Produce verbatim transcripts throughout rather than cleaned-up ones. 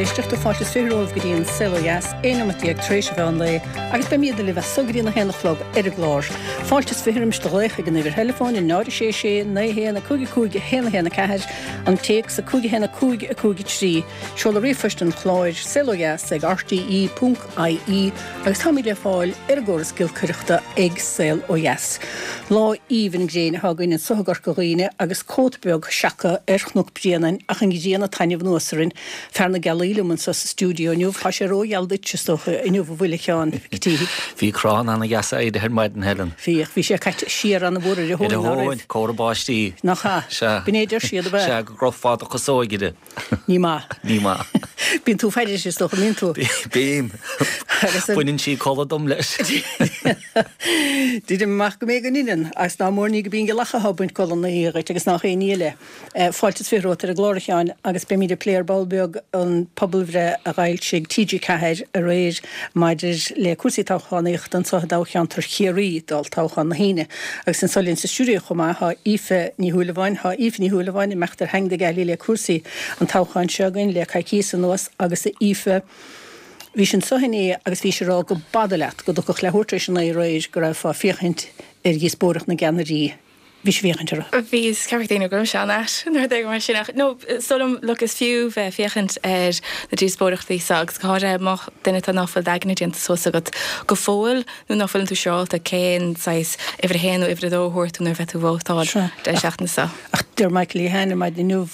éisteachta fáilte is fiche romhaibh go dtí an Saol Ó Dheas, aon nóiméad déag tar éis an mheán lae, agus beimid libh as so go dtí a haon a chlog ar an gclár. Fáilte is fiche roimis do ghlaoch ag an uimhir theileafóin a náid a sé sé naoi haon a cúig a cúig a haon a haon a ceathair, an téacs a cúig a haon a cúig a cúig a trí, seoladh ríomhphoist an chláir saol ó dheas ag rte ponc ie agus táimid le fáil ar an gcóras giolcaireachta ag Saol Ó Dheas. Lá aoibhinn gréine atá againn anseo i gCorca Dhuibhne agus cóta beag seaca ar Chnoc Bréanainn ach an ghrian ag taitneamh anuas orainn. Fear na gealaí liom anseo sa stiúideo inniu. Tá sé rógheal duit is dócha inniu a bhfuil a Sheáin Mhic Títhigh. Bhí crann ana-dheas éirithe ar maidin Helen. Bhí bhí sé caite siar an-mhór ar a thóin ná raibh. Córa báistí. Nach ea? Sea. B'in é a deir siad ab ea? Sea, go gcrochfá do chasóig uirthi. Ní maith. Ní maith. Bíonn tú ag faire is dócha, mbíonn tú? Bím. Baineann sí codladh dom leis. Deirim amach go mbeidh an ionann agus ná mór ní go bíonn gealach atá ag baint codladh na hoíche dhuit agus nach aon ní eile. Fáilte is fiche romhat ar an gclár a Sheáin agus beimid ag plé ar ball beag an pobalbhreith a d'fhoilsigh TG Ceathair aréir maidir le cúrsaí toghchánaíochta anseo i dtoghcheantar Chiarraí d'olltoghchán na hAoine. Agus anseo linn sa stiúideo chomh maith tá Aoife Ní Shúilleabháin. Tá Aoife Ní Shúilleabháin ag imeacht ar theanga na gealaí le cúrsaí an toghcháin seo againn le coicíos anuas agus a Aoife, bhís anseo inné agus bhís ag rá go b'fhada leat go dtiocfadh leathuair tar éis a naoi aréir go raibh ag féachaint ar dhíospóireacht na gceannairí. Bhís ag féachaint uirthi. Bhí, is ceapadh daoine go raibh sé an-ait nuair a d'éirigh mar sin ach no, is dóigh liom, look, is fiú bheith ag féachaint ar na díospóireachtaí seo agus go háirithe má duine tá ná fuil d'aigne déanta suas agat go fóill nó ná fuileann tú siúráilte cén saghas uimhir a haon nó uimhir a dó a thabhairt tú nuair a bheidh tú ag vótáil deireadh seachtaine seo. Ach deir Michael Lehane ar maidin inniu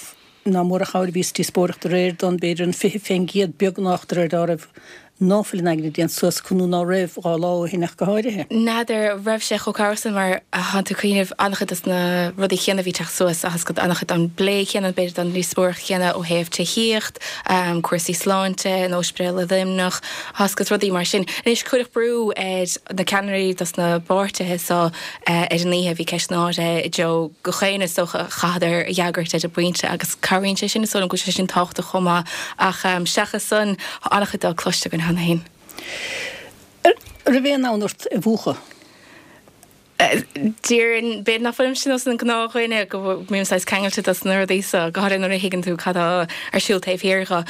nach mór an chabhair a bhí sa díospóireacht aréir don b'fhéidir an fiche fén gcéad beagnach de réir dealraimh ná fuil a n-aigne déanta suas acu nó ná raibh dhá lá ó shin ach go háirithe. N'fheadar raibh sé chomh cabhrach sin mar thánn tú ag cuimhneamh an-chuid dos na rudaí céanna a bhí ag teacht suas agus an-chuid den bplé céanna b'fhéidir den díospóireacht chéanna ó thaobh tithíocht, cúrsaí sláinte, an Ospidéal i Luimneach, agus rudaí mar sin. Anois cuireadh brú ar na ceannairí dos na bpáirtithe so ar an oíche, bhí ceisteanna áirithe i dtreo gach éinne is dócha a chaitheadar a fhreagairt ar an bpointe agus cabhraíonn sé sin, is dóigh liom go bhfuil sé sin tábhachtach chomh maith ach seachas san, tá an-chuid dó cloiste againn cheana féin. An raibh aon fhonn ort é a mhúchadh? Déarfainn, b'fhéidir nach bhfuilimse nós an gnáthdhuine go mbím saghas ceangailte dos na rudaí so, go háirithe nuair a thuigeann tú cad tá ar siúl taobh thiar dho.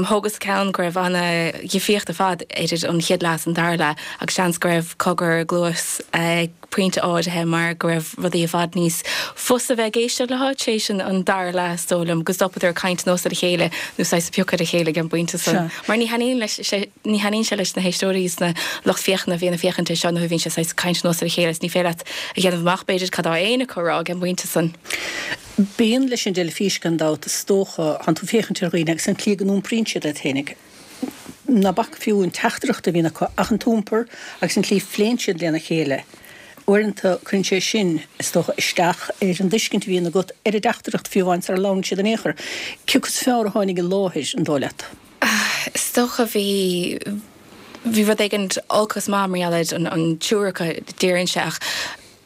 Thógas ceann go raibh ana-dhifríocht ar fad idir an chéad leath is an dara leath agus seans go raibh cogar i gcluas ag pointe áirithe mar go raibh rudaí i bhfad níos fusa bheith ag éisteacht leo tar éis an dara leath is dóigh liom, go stopadar ag caint anuas ar a chéile nó saghas ag piocadh ar a chéile ag an bpointe san. Mar ní thaitníonn leis sé, ní thaitníonn sé leis na héisteoirí is na lucht féachana a bhíonn ag féachaint air seo nuair a bhíonn sé saghas caint anuas ar a chéile is ní féidir leat a dhéanamh amach b'fhéidir cad tá éinne acu a rá ag an bpointe san. Bíonn leis an dteilifís gan dabht is dócha, thánn tú ag féachaint ar dhaoine agus an tslí go n-iompraíonn siad iad féinig. Ná bac fiú an teachtaireacht a bhíonn acu ach an t-iompar agus an tslí a phléann siad lena chéile. Uaireanta cuireann sé sin, is dócha, isteach ar an dtuiscint a bhíonn agat ar an dteachtaireacht fiú amháin sara labhrann siad in aon chor. Cé acu is fearr a tháinig i láthair, an dóigh leat? Is dócha bhí bhí rud éigin olc is maith mar gheall ar an triúr acu, déarfainnse, ach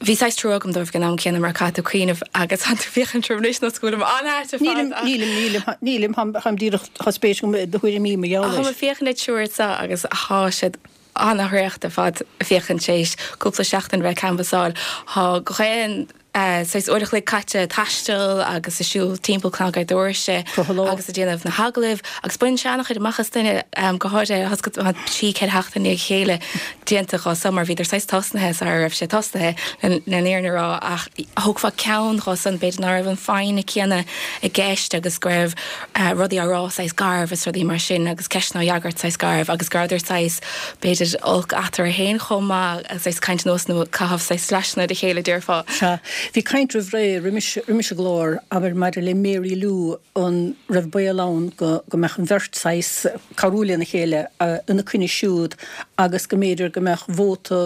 bhí saghas trua agam dóibh ag an am céanna mar caithfidh tú cuimhneamh agus thánn tú ag féachaint orm anois nós go bhfuilim an-ait ar fad Nílim, nílim, nílim, nílim, táim díreach, tá spéis agam i do thuairimí mar gheall air. Táim ag féachaint ar triúr seo agus thá siad an-thraochta ar fad ag féachaint tar éis cúpla seachtain a bheith ag canbhasáil. Thá gach aon saghas uair a chloig caite ag taisteal agus ag siúl timpeall cnag ar doirse agus ag déanamh na hagallaimh agus baineann sé an-chuid amach as duine, go háirithe tá trí, ceithre sheachtain i ndiaidh a chéile déanta dhó san mar bhíodar saghas tosnaithe sara raibh sé tosnaithe le an fhírinne a rá ach thógfá ceann dhó san b'fhéidir ná raibh an foighne céanna i gceist agus go raibh rudaí á rá saghas garbh is rudaí mar sin agus ceisteanna á fhreagairt saghas garbh agus go rabhadar saghas b'fhéidir olc eatarthu féin chomh maith agus saghas caint anuas nó caitheamh saghas slaiseanna ar a chéile déarfá. Sea. Bhí caint roimh ré, roimis, roimis an gclár, abair, maidir le Mary Lou, an raibh baol ann go, go mbeadh an bheirt saghas cabhrú lena chéile ina coinne siúd agus go mb'fhéidir go mbeadh vóta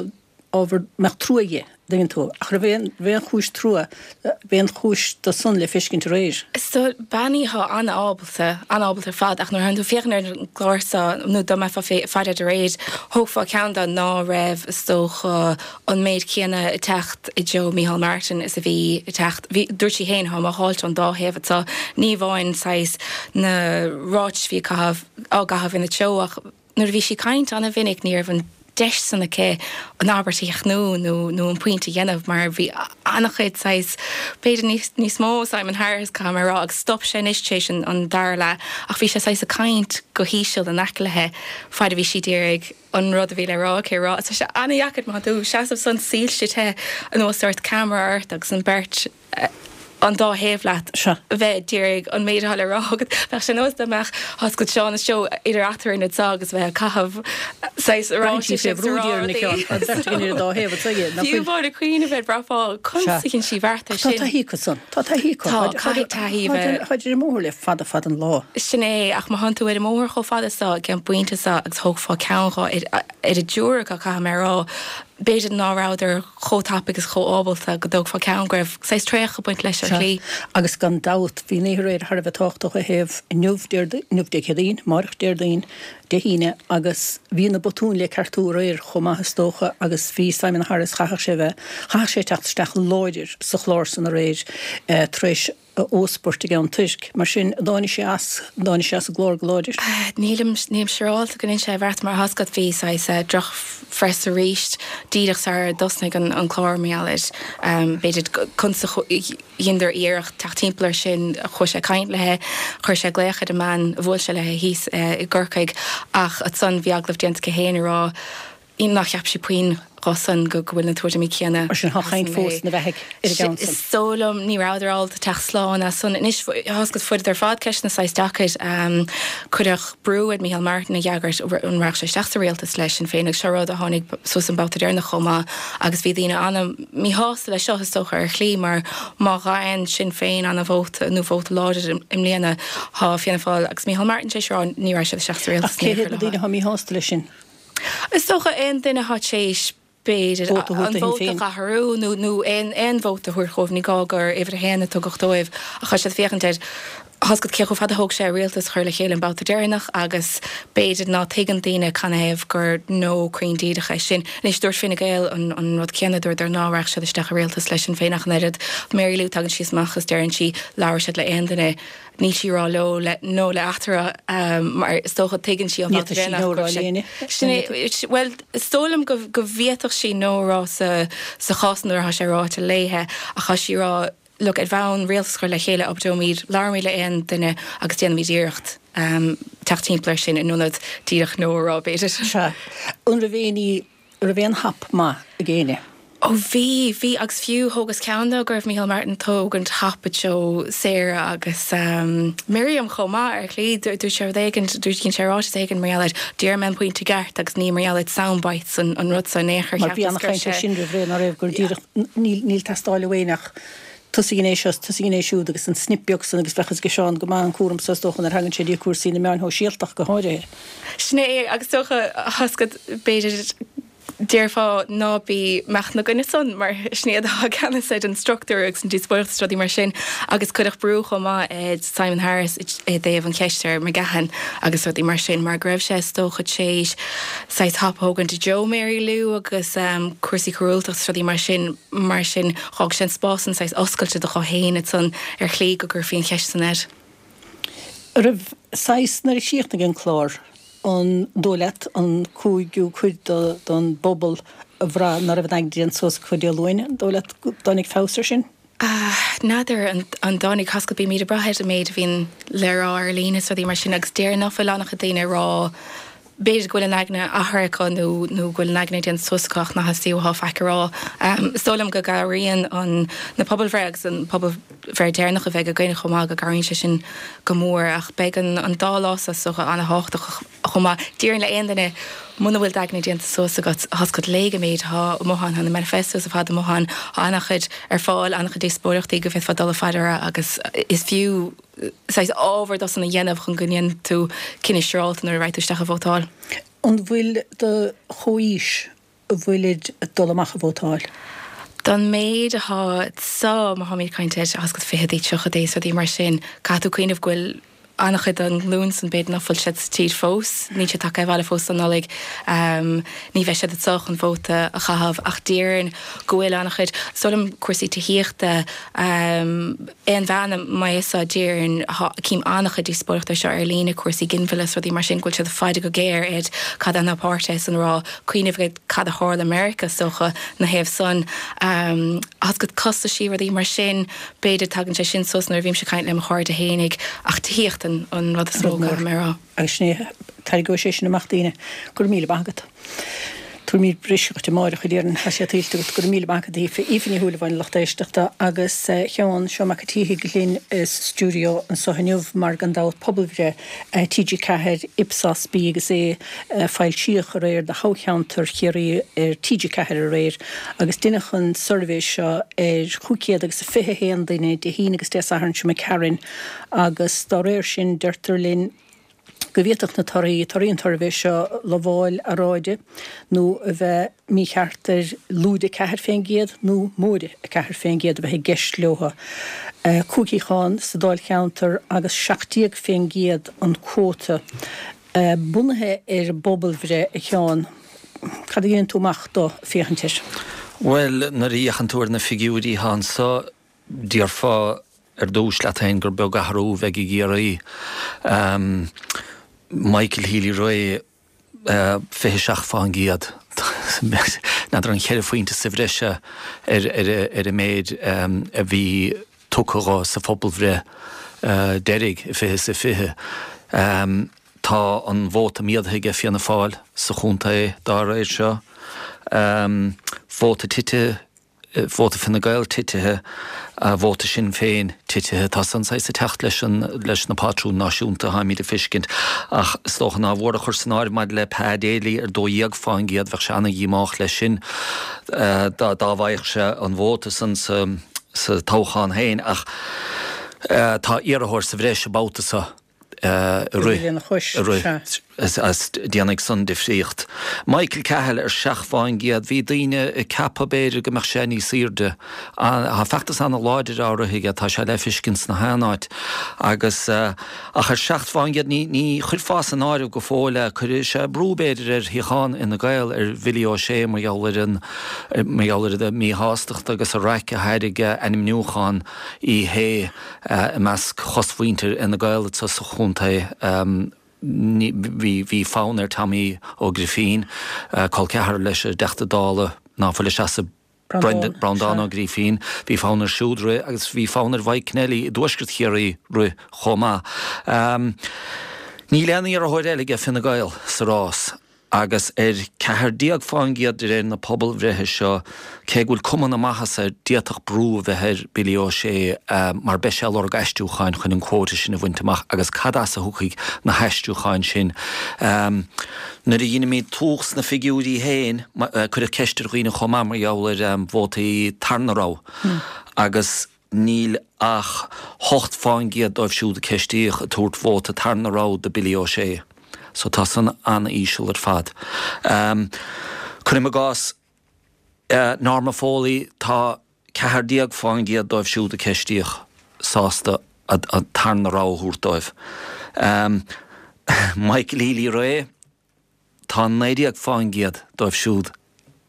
ábhar, mbeadh trua di, an dtuigeann tú. Ach raibh aon, raibh aon chúis trua, raibh aon chúis do san le feiscint aréir. So, bean í atá an-ábalta, an-ábalta ar fad, ach nuair a théann tú ag féachaint ar an gclár seo, nó dá mbeifeá ag faire air aréir, thógfá ceann de ná raibh, is dócha, an méid céanna ag teacht i dtreo Micheál Martin is a bhí ag teacht, bhí, dúirt sí féin, táim á tháilt ón dá thaobh anseo, ní amháin saghas na ráitis a bhí ag caitheamh, á gcaitheamh ina treo ach nuair a bhí sí ag caint an-mhinic ní raibh an deis san aici an abairt a chríochnú nó nó an pointe a dhéanamh mar bhí an-chuid saghas b'fhéidir níos níos mó Simon Harris caithfidh mé a rá agus stop sé anois tar éis an an dara leath ach bhí sé saghas ag caint go híseal in aice léi fad a bhí sí d'iarraidh an rud a bhí le rá aici a rá. Tá sé an-dheacair má tá tú seasamh san soilse te anuas ort camera ort agus an beirt an dá thaobh leat bheith d'iarraidh an méid atá le rá agat. Bheadh sé nós dá mbeadh oscailt Seán is Joe idir eatarthu anso agus bheith ag caitheamh saghas ráitis agus a rá rudaí. Fiú amháin ag cuimhneamh air bhraithfeá conas a dhein sí beart air Tá sin. taithí acu san. Tá taithí acu. Tá, caithfidh taithí a bheith. Táid ar an mbóthar le fada fada an lá. Sin é, ach má thánn tú ar an mbóthar chomh fada so ag an bpointe so agus thógfá ceann dhó ar ar an dtriúr acu caithfidh mé a rá, b'fhéidir ná rabhadar chomh tapaidh agus chomh ábalta go dtógfá ceann go raibh saghas traochadh ag baint leis ar shlí. Agus gan dabht bhí an oíche aréir thar a bheith tábhachtach ó thaobh inniu inniu Dé Céadaoin, amárach Déardaoin, Dé hAoine agus bhí na botúin le ceartú aréir chomh maith is dócha agus bhí Simon Harris chaithfeadh sé bheith chaithfeadh sé teacht isteach láidir sa chlár san aréir tar éis a óspairt i gCeann Toirc. Mar sin, dtáinig sé as, dtáinig sé as an gclár go láidir. Nílim, nílim siúráilte go ndein sé a bheart mar tá a fhios agat bhí saghas drochphreas arís díreach sar a dtosnaigh an, an clár mar gheall air. B'fhéidir conas a dheineadar iarracht teacht timpeall air sin, chuaigh sé ag caint léi, chuir sé glaoch ar an mbean a bhuail sé léi thíos i gCorcaigh ach ansan bhí agallamh déanta aici féin ag rá nár cheap sí puinn dhó san go bhfuil na tuairimí céanna. Mar sin, tá caint fós ina bheathaidh ar an gceann san. Is dóigh liom ní rabhadar ábalta teacht slán as san. Anois, tá a fhios agat fuaireadar ar fad ceisteanna saghas deacair. Cuireadh brú ar Micheál Martin a fhreagairt an rachadh sé isteach sa rialtas le Sinn Féin agus seo rud a tháinig suas an babhta deireanach chomh maith agus bhí daoine an-mhíshásta leis seo is dócha ar shlí mar má gheibheann Sinn Féin an-vóta nó vóta láidir i mbliana tá Fianna Fáil agus Micheál Martin tar éis a rá ní raghaidh siad isteach sa rialtas. Ach cé hiad na daoine atá míshásta leis sin? Is dócha aon duine atá tar éis b'fhéidir an vóta a athrú nó nó aon aon vóta a thabhairt dhóibh, ní gá gur uimhir a haon a tugadh dóibh ach tá siad ag féachaint ar tá a fhios agat cé chomh fada a thóg sé rialtas a chur le chéile an babhta deireanach agus b'fhéidir ná tuigeann daoine canathaobh gur no cruinn díreach é sin. Anois dúirt Fine Gael an an rud céanna, dúradar ná rachadh siad isteach i rialtas le Sinn Féin ach an oiread. Mary Lou tagann sí amach is deireann sí labhair siad le aon duine Níl sí ag rá leo le no le eatarthu mar is dócha tuigeann sí an Ní fhéadfadh sí no a rá le éinne. Sin é, bhuel, is dóigh liom go go bhféadfadh sí no a rá sa sa chás nuair atá sé ráite léithe ach tá sí ag rá look, ar bhonn rialtas a chur le chéile oibreoimid, labhróimid le aon duine agus déanfaimid iarracht teacht timpeall air sin in ionad díreach no a rá b'fhéidir. Sea. An raibh éinní Raibh aon hap maith ag éinne? Ó bhí, bhí agus fiú thógas ceann de go raibh Micheál Martin ag tógaint hap i dtreo Sarah agus Miriam chomh maith ar shlí. Dúirt sé rud éigin, dúirt sé ráiteas éigin mar gheall ar deir mé an pointe ceart agus ní mar gheall ar sound bites an an rud so in aon chor Mar bhí cheapas gur an-chaint air sé sin roimh ré, ná raibh, gur díreach níl níl teastáil ó éinne ach tosaigh an é seo is tosaigh an é siúd agus an snip beag san agus bheadh fhios ag Seán go maith an cúram so is dócha nuair a thagann sé dtí cúrsaí na meáin shóisialta ach go háirithe. Sin é agus is dócha tá a fhios agat b'fhéidir Déarfá ná bí amach ina gcoinne san mar sin iad atá i gceannas ar an struchtúr agus an díospóireacht is rudaí mar sin agus cuireadh brú chomh maith ar Simon Harris i dtaobh an cheist ar McGahon agus rudaí mar sin mar go raibh sé is dócha tar éis saghas hap a thógaint i dtreo Mary Lou agus cúrsaí coiriúltacht is rudaí mar sin mar sin dh'fhág sé an spás san saghas oscailte do dhó fhéin ansan ar shlí go gcuirfí an cheist san air. Raibh saghas nuair a chríochnaigh an clár An dóigh leat an cúigiú cuid den bpobal a bhraith ná raibh a n-aigne déanta suas acu Dé Luain, an dóigh leat go dtáinig feabhas air sin? N'fheadar an dtáinig, tá a fhios agat bímid ag brath ar an méid a bhíonn le rá ar líne is rudaí mar sin agus déarfainn ná fuil an-chuid daoine ag rá b'fhéidir go bhfuil a n-aigne athraithe acu nó nó go bhfuil a n-aigne déanta suas acu ach ná theastaíonn uathu faic a rá. Is dóigh liom go gcabhraíonn an na pobalbhreith agus an pobalbhreith deireanach a bheidh againn chomh maith go gcabhraíonn sé sin go mór ach beidh an an dá lá seo is dócha an-thábhachtach chomh maith. Déarfainn le aon duine muna bhfuil d'aigne déanta suas agat, tá a fhios agat léigh an méid atá amuigh ann, tá na manifestos ar fad amuigh ann, tá an-chuid ar fáil, an-chuid díospóireachtaí go bhféadfá dul fá deara agus is fiú saghas ábhar dó san a dhéanamh chun go ndéanfaidh tú cinneadh siúrálta nuair a raghaidh tú isteach a vótáil. An bhfuil do chomhaois an bhfuilid ag dul amach a vótáil? Don méid atá so, má tháimid ag caint ar, tá a fhios agat fichidí, tríochaidí is rudaí mar sin, caithfidh tú cuimhneamh go bhfuil an-chuid den ghlúin san b'fhéidir nach bhfuil siad sa tír fós, níl siad tagtha abhaile fós don Nollaig, ní bheidh siad anseo chun vóta a chaitheamh ach déarfainn go bhfuil an-chuid, is dóigh liom cúrsaí tithíochta, aon bhean a mbeidh fhios déarfainn, cím an-chuid díospóireachta seo ar líne, cúrsaí ginmhilleadh is rudaí mar sin, go bhfuil siad ag faire go géar ar cad é na páirtithe san rá, cuimhneamh ar cad a tharla i Meiriceá is dócha na thaobh san, agus costaisí rudaí mar sin, b'fhéidir tagann sé sin suas nuair a bhímse ag caint le mo chairde fhéinig ach tithíocht an an rud is mó caithfidh mé a rá. Agus sin é, tarraingeoidh sé sin amach daoine. Go raibh míle maith agat. Tabharfaimid briseadh duit amárach a déarfainn, tá sé tuillte agat. Go raibh míle maith agat, Aoife. Aoife Ní Shúilleabháin, lucht éisteachta, agus a Sheáin, Seán Mac an tSíthigh linn sa stiúideo anseo inniu mar gan dabht pobalbhreith T G ceathair, Ipsos, B agus A foilsíodh aréir do thoghcheantar Chiarraí ar T G ceathair aréir agus deineadh an suirbhé seo ar chúig chéad agus a fiche a haon duine Dé hAoine agus Dé Sathairn seo imigh tharainn agus dá réir sin deirtear linn go bhféadfadh na torthaí, torthaí an tsuirbhé seo, lamháil earráide nó a bheith mícheart ar lúide ceathair fén gcéad nó móide a ceathair fén gcéad a bheith i gceist leo. Cúig shuíochán sa dáilcheantar agus seacht déag fén gcéad an cuóta. Bunaithe ar an bpobalbhreith, a Sheáin, cad a dhéanann tú amach de féachaint air? Bhuel, nuair a fhéachann tú ar na figiúirí atá anso, déarfá ar dtús leat féin gur beag athrú a bheidh i gCiarraí. Michael Healy-Rae, fiche seacht fán gcéad. N'fheadar an cheithre phointe sa bhreis ar an méid a bhí tugtha dho sa phobalbhreith deiridh i fiche is a fiche. Tá an vóta méadaithe aige Fianna Fáil sa chontae dá réir seo. Vóta tite. vóta Fine Gael titithe, vóta Sinn Féin titithe. Tá san saghas ag teacht leis an, leis na patrúin náisiúnta atáimid ag feiscint. Ach is dócha nár mhór a chur san áireamh maidir le Pa Daly ar dó dhéag fán gcéad, bheadh sé ana-dhíomách leis sin dá dá bhfaigheadh sé an vóta san sa sa toghchán féin. Ach tá iarrthóir sa bhreis an babhta seo. i rith, i rith, is déanfaidh san difríocht. Michael Cahill ar seacht fán gcéad, bhí daoine ag ceapadh b'fhéidir go mbeadh sé níos aoirde. Tá feachtas ana-láidir á rith aige, tá sé le feiscint sna haon áit agus ach ar seacht fán gcéad ní ní chuirfeá san áireamh go fóill é. Cuirfidh sé brú b'fhéidir ar shuíochán Fhine Gael ar Bhilly O'Shea mar gheall ar an mar gheall ar an míshástacht agus an raic a thairg ainmniúchán Uí Shé i measc chosmhuintir Fhine Gael sa chontae. Bhí fonn ar Tommy Ó Grifín, col ceathrar leis an dTeachta Dála ná fuil ag seasamh, Breandán Ó Grífín, bhí fonn air siúd rith agus bhí fonn ar Mhaidhc Kennelly i dtuaisceart Chiarraí rith chomh maith. Níl aon iarrthóir eile ag Fine Gael sa rás. agus ar ceathair déag fán gcéad de réir na pobalbhreithe seo, cé go bhfuil cuma na maitheasa air, d'fhéadfadh brú a bheith ar Billy O'Shea mar beidh sé ag lorg aistriúcháin chun an quota sin a bhaint amach agus cad as a thiocfaidh na haistriúcháin sin? Nuair a dheinimid tumhach sna figiúirí féin, cuireadh ceist ar dhaoine chomh maith mar gheall ar vótaí tarna rogha agus, Níl ach hocht fán gcéad dóibh siúd a ceistíodh ag tabhairt vóta tarna rogha do Billy O'Shea. So tá san an-íseal ar fad. Cuirim i gcás Norma Foley, tá ceathair déag fán gcéad dóibh siúd a ceistíodh sásta an tarna rogha a thabhairt dóibh. Michael Healy-Rae, Tá naoi déag fán gcéad dóibh siúd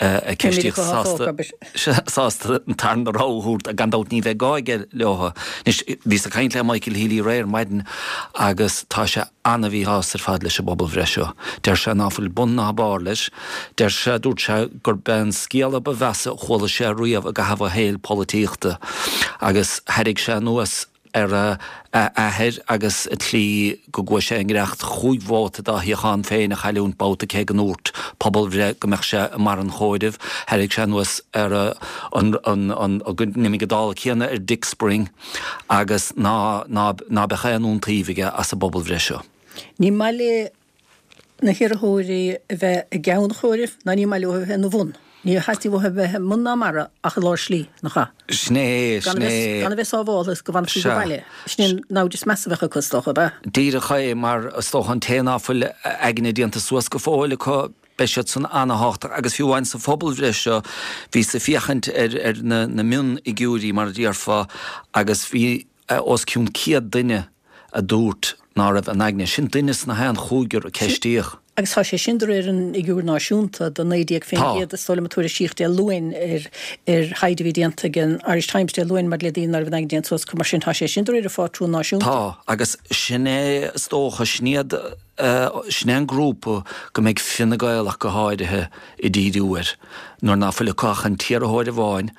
a ceistíodh sásta an tarna rogha a thabhairt, gan dabht ní bheidh gá aige leo. Anois, bhíos ag caint le Michael Healy-Rae ar maidin agus tá sé ana-mhíshásta ar fad leis an bpobalbhreith seo. Deir sé ná fuil bun ná barr leis. Deir sé, dúirt sé gurb é an scéal a ba mheasa a chuala sé riamh i gcaitheamh a shaoil polaitíochta agus thairrig sé anuas ar a athair agus an tslí go gcuaigh sé i ngiorracht chúig vóta dá shuíochán féin a chailliúint babhta cé go ndúirt pobalbhreith go mbeadh sé i mbarr an chomhairimh. Thairrig sé anuas ar an go n-imigh an dála céanna ar Dick Spring agus ná ná beadh aon iontaoibh aige as an bpobalbhreith seo. Ní maith le na hiarrthóirí a bheith i gceann an chomhairimh ná ní maith leo a bheith ina bhun. Ní theastaíonn uathu a bheith i mbun ná i mbarra ach i lár slí, nach ea? Sin é, sin é. Gan a bheith sábháltha is go bhfanfaí go baile. Sin é an namhaid is measa a bheadh acu, is dócha, ab ea? Díreach é, mar is dócha an té ná fuil a aigne déanta suas go fóill acu, beidh siad san ana-thábhachtach agus fiú amháin sa phobalbhreith seo, bhíos ag féachaint ar ar na na mionfhigiúirí mar a déarfá agus bhí os cionn céad duine a dúirt, ná raibh a n-aigne. Sin duine sna haon chúigear a ceistíodh. Agus tá sé sin de réir an fhigiúir náisiúnta de naoi déag faoin gcéad is dóigh liom a tuairiscíodh Dé Luain ar ar thaighde a bhí déanta ag an Irish Times Dé Luain maidir le daoine ná raibh a n-aigne déanta suas acu. Mar sin tá sé sin de réir an phátrúin náisiúnta. Tá, agus sin é is dócha, sin iad, sin é an grúpa go mbeidh Fine Gael ach go háirithe ag díriú air nuair ná fuil acu ach an t-iarrthóir amháin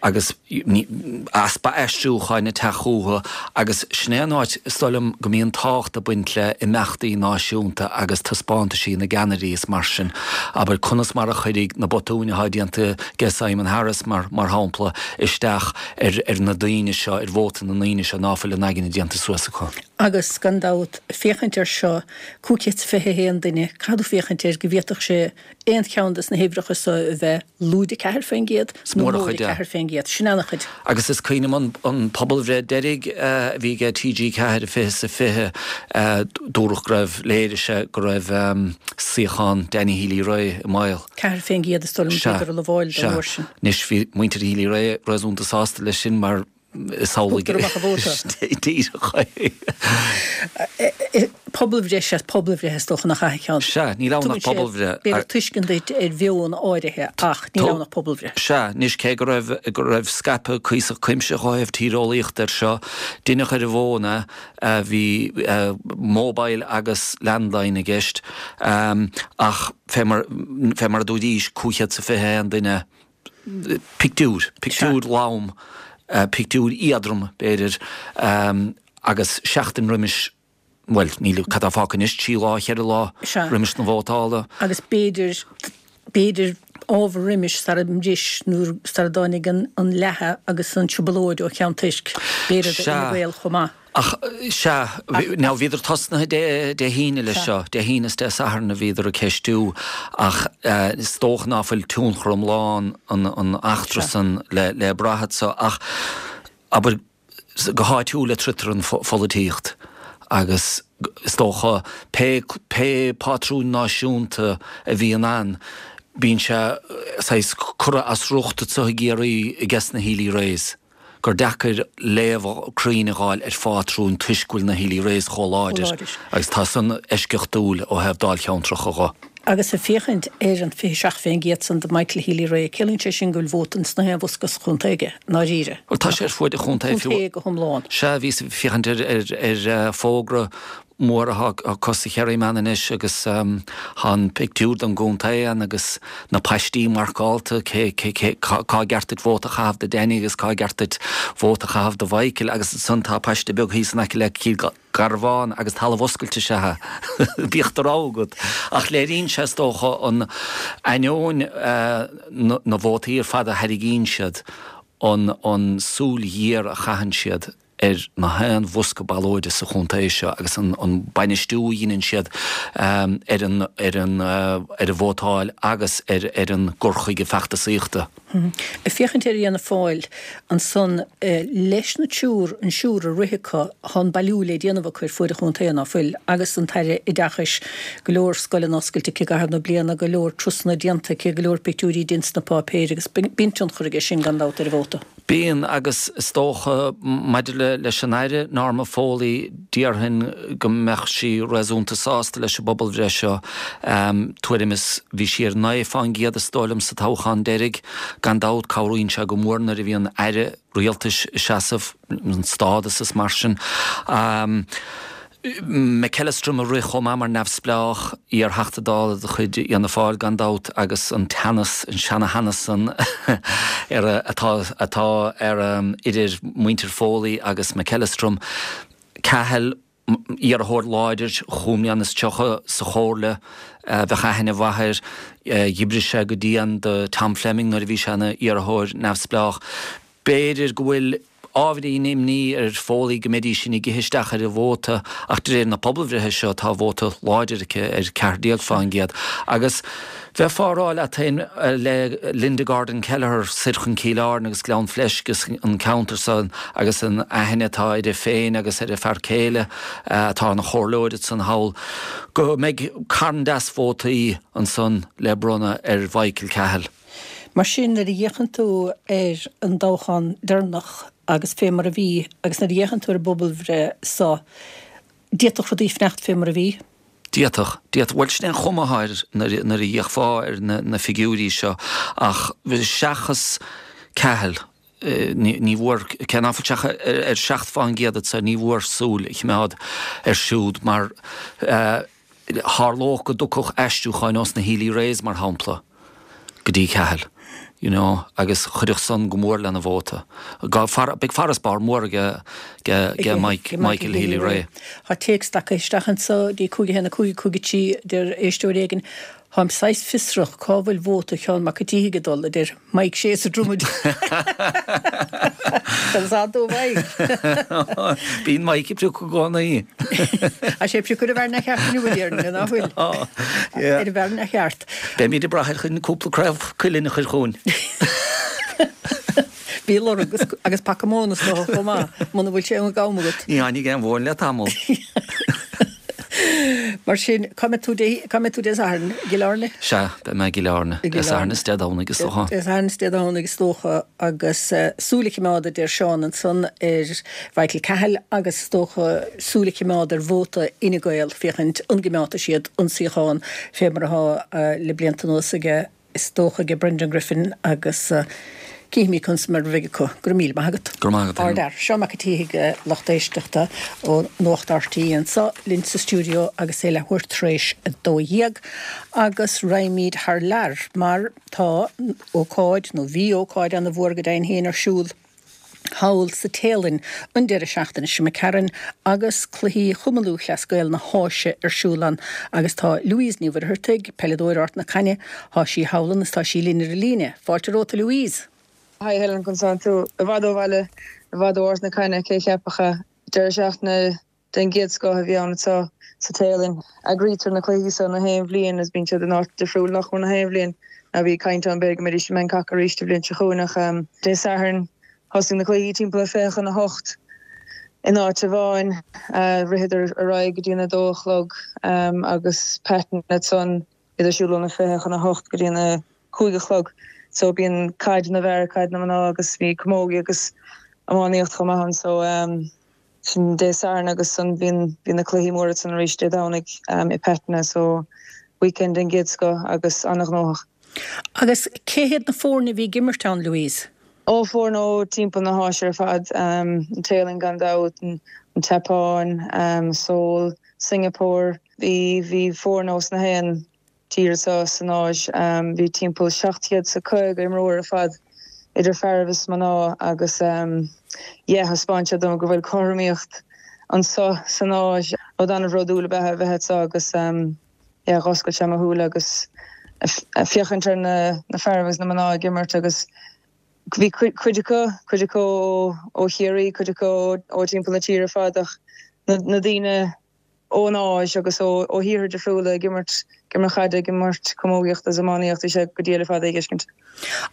agus easpa aistriúcháin ag teacht chucu agus sin é an áit is dóigh liom go mbíonn tábhacht ag baint le imeachtaí náisiúnta agus taispeántaisí na gceannairí is mar sin. Abair conas mar a chuirfidh na botúin atá déanta age Simon Harris mar mar shampla isteach ar ar na daoine seo, ar vóta na ndaoine seo ná fuil a n-aigne déanta suas acu. Agus gan dabht, féachaint air seo, cúig chéad is fiche a haon duine, caithfidh tú féachaint air go bhféadfadh sé aon cheann des na huimhreacha so a bheith lúide ceathair faoin gcéad nó móide ceathair faoin gcéad. Sin an-chuid. Agus is cuimhin liom an pobalbhreith deiridh a bhí ag T G ceathair, fiche is a fiche, dúradh go raibh, léirigh sé go raibh suíochán Danny Healy-Rae i mbaol. Ceathair faoin gcéad is dóigh liom a bhíodar a lamháil don uair sin. Anois bhí muintir Healy-Rae réasúnta sásta leis sin mar is amhlaidh Thugtar amach a vóta. Díreach é. Pobalbhreith is ea pobalbhreith is dócha nach ea a Sheáin. Sea, níl ann ach pobalbhreith. B'fhéidir tuiscint duit ar mheon áirithe ach níl ann ach pobalbhreith. Sea, anois cé go raibh go raibh scaipeadh cuíosach cuimsitheach ó thaobh tíreolaíochta air seo, deineadh ar an bhfón é, bhí mobile agus landline i gceist, ach fé mar fé mar a dúraís, cúig chéad is a fiche a haon duine, pictiúr, pictiúr lom, pictiúr éadrom, b'fhéidir, agus seachtain roimis, bhuel, níl, cad tá fágtha anois, trí lá, cheithre lá roimis na vótála. Agus b'fhéidir, b'fhéidir ábhar roimis sara mbris nó sara dtáinig an leathadh agus an trioblóid ó Cheann Toisc, b'fhéidir d'Fhine Gael chomh maith. Ach, sea, now bhíodar tosnaithe Dé hAoine leis seo, Dé hAoine is Dé Sathairn a bhíodar ag ceistiú ach is dócha ná fuil tionchar iomlán an eachtra san le brath anso ach, abair, go háitiúil a troidtear an pholaitíocht agus is dócha pé pé pátrún náisiúnta a bhíonn ann bíonn sé saghas curtha as riocht anso i gCiarraí ages na Healy-Raes. gur deacair léamh cruinn a dh'fháil ar phátrún toisc go bhfuil na Healy-Raes chomh láidir agus tá san eisceachtúil ó thaobh dáilcheantracha dho. Agus ag féachaint ar an fiche seacht faoin gcéad san do Michael Healy-Rae, ciallaíonn sé sin go bhfuil vóta ins na haon bhosca sa chontae aige, i ndáiríre. Bhuel, tá sé ar fuaid an chontae fiú. Contae go hiomlán. Sea, bhíos ag féachaint ar ar fógra mór atá acu sa Kerryman anois agus tá an pictiúr den gcontae ann agus na paistí marcálta, cé, cé, cé, cá gceart duit vóta a chaitheamh do Danny agus cá gceart duit vóta a chaitheamh do Mhichael agus ansan tá paiste beag thíos in aice le Cill Garbhán agus talamh oscailte is ea é. Bíodh do rogha agat. Ach léiríonn sé is dócha an ainneoin na vótaí ar fad a thairgíonn siad, an an súil ghéar a chaitheann siad ar na haon bhosca ballóide sa chontae seo agus an an bainistiú a dheineann siad ar an ar an ar an vótáil agus ar ar an gcur chuige feachtasaíochta. Ag féachaint ar Fhianna Fáil ansan leis na triúr, an triúr a rith acu, tá an bailiú le déanamh acu ar fuaid an chontae, ná fuil, agus an tAire Oideachais, go leor scoileanna oscailte aici i gcaitheamh na bliana, go leor turasanna déanta aici, go leor pictiúirí déanta sna páipéir agus bíonn tionchar aige sin gan dabht ar an vóta. Bíonn, agus is dócha, maidir le leis an Aire, Norma Foley, déarfainn go mbeadh sí réasúnta sásta leis an bpobalbhreith seo. Tuairim is, bhí sí ar naoi fán gcéad is dóigh liom sa toghchán deiridh. Gan dabht, cabhraíonn sé go mór nuair a bhíonn Aire rialtais ag seasamh, an stádas is mar sin. McEllistrim a rith chomh maith mar neamhspleách, iar-Theachta Dála de chuid Fhianna Fáil gan dabht agus an teannas, an seana-theannas san ar atá atá ar idir muintir Foley agus McEllistrim. Cahill, iarrthóir láidir chúig mbliana is tríocha sa chomhairle, bheadh aithne mhaith air, d'oibrigh sé go dian do Tom Fleming nuair a bhí sé ina iarrthóir neamhspleách. B'fhéidir go bhfuil ábhairín imní ar Foley go mbeidís sin ag ithe isteach ar a vóta ach de réir na pobalbhreithe seo tá vóta láidir aici ar ceathair déag fán gcéad agus bheifeá ag rá leat féin le Linda Gordon Kelleher soir chun Cill Airne agus Gleann Fleisce agus an ceantar san agus an aithne atá uirthi féin agus ar a fear céile atá ina chomhairleoir ansan thall go mbeidh carn deas vótaí ansan le bronnadh ar Mhichael Cahill. Mar sin, nuair a fhéachann tú ar an dtoghchán deireanach agus fé mar a bhí, agus nuair a fhéachann tú ar an bpobalbhreith so, D'fhéadfadh rudaí fanacht fé mar a bhí? D'fhéadfadh, d'fhéadfadh. Bhuel, sin é an chuma atá air nuair a fhéachfá ar na figiúirí seo ach seachas Cahill, ní bhfuair, cé ná fuil sé ach ar seacht fán gcéad anso, ní bhfuair súil a choimeád air siúd mar tharlódh go dtiocfadh aistriúcháin ós na Healy-Raes, mar shampla, go dtí Cahill, you know, agus chuirfeadh san go mór lena vóta. Beidh farasbarr mór aige Mike, Michael Healy-Rae. Tá téacs tagtha isteach anso dtí cúig a haon a cúig cúig a trí, deir éisteoir éigin, Táim saghas fiosrach cá bhfuil vóta Sheáin Mac an tSíthigh ag dul, a deir Mike Sé sa Dromad. Tá fhios dó Mike. Bíonn Mike ag priocadh i gcónaí. Tá sé ag priocadh ar an bhfear neamhcheart inniu, a déarfainn, nach bhfuil? Ar an bhfear neamhcheart. Beimid ag brath air chun cúpla craobh cuilinn a chur chugainn. Bí ag lorg agus paca móna is dócha chomh maith, muna bhfuil sé ag am agat. Ní tháinig aon mhóin le tamall. Mar sin, cá mbeidh tú Dé, cá mbeidh tú Dé Sathairn? I gCill Airne? Sea, beidh mé i gCill Airne. Dé Sathairn is Dé Domhnaigh is dócha. Dé Sathairn is Dé Domhnaigh is dócha agus súil a choimeád, a deir Seán ansan, ar Mhichael Cahill agus is dócha súil a choimeád ar vóta Fhine Gael féachaint an gcoimeádfaidh siad an suíochán fé mar atá le blianta anuas aige is dócha aige Brendan Griffin agus cífimid conas mar a bheidh acu. Go raibh míle maith agat. Go raibh maith agat Helen. Ardfhear. Seán Mac an tSíthigh, lucht éisteachta ó Nuacht RTÉ anseo linn sa stiúideo agus é leathuair tar éis a dó dhéag agus raghaimid thar lear mar tá ócáid, nó bhí ócáid ana-mhór go deimhin féin ar siúl thall sa Téalainn an deireadh seachtaine seo imigh tharainn agus cluichí Chumann Lúthchleas Gael na hÁise ar siúl ann agus tá Louise Ní Mhuircheartaigh, peileadóir Ard na Caithne, tá sí thall ann is tá sí linn ar an líne. Fáilte romhat a Louise! Hi Helen, conas tánn tú? I bhfad ó bhaile, i bhfad ó Ard na Caithne, cé a cheapfadh é? Deireadh seachtaine den gcéad scoth a bhí ann anseo sa Téalainn. Eagraítear na cluichí seo na haon bhliain agus bíonn siad in áit difriúil nach mór na haon bhliain. Now bhí caint ann b'fhéidir go mbeidís i mBangkok arís an bhliain seo chugainn ach Dé Sathairn thosaigh na cluichí timpeall a fiche chun a hocht in áit amháin. Ritheadar ar aghaidh go dtí an a dó a chlog agus Pattana ansan iad ar siúl óna fiche chun a hocht go dtí an a cúig a chlog. So bíonn caid na bhfear, caid na mná agus bhí camogie agus iománaíocht chomh maith ann. So sin Dé Sathairn agus ansan bíonn bíonn na cluichí móra ansan arís Dé Domhnaigh i Pattana. So weekend den gcéad scoth agus an-ghnóthach. Agus cé hiad na foirne a bhí ag imirt ann, Louise? Ó, foirne ó timpeall na hÁise ar fad, an Téalainn gan dabht, an tSeapáin, Seoul, Singapore. Bhí bhí foirne ós na haon tír anseo san Áis. Bhí timpeall seacht gcéad is a caoga imreoir ar fad, idir fearaibh is mná, agus yeah, thaispeáin sé dom go bhfuil cothromaíocht anseo san Áis. Rud an-bhródúil ab ea a bheith anseo agus yeah, dh'oscail sé mo shúile agus féachaint ar na fearaibh agus na mná ag imirt agus bhí cuid acu, cuid acu ó Chiarraí, cuid acu ó timpeall na tíre ar fad ach na daoine ón Áis agus ó thíortha difriúla ag imirt, ag imirt caide, ag imirt camógaíochta is iománaíocht, bhí sé go diail ar fad é a dh'fheiscint.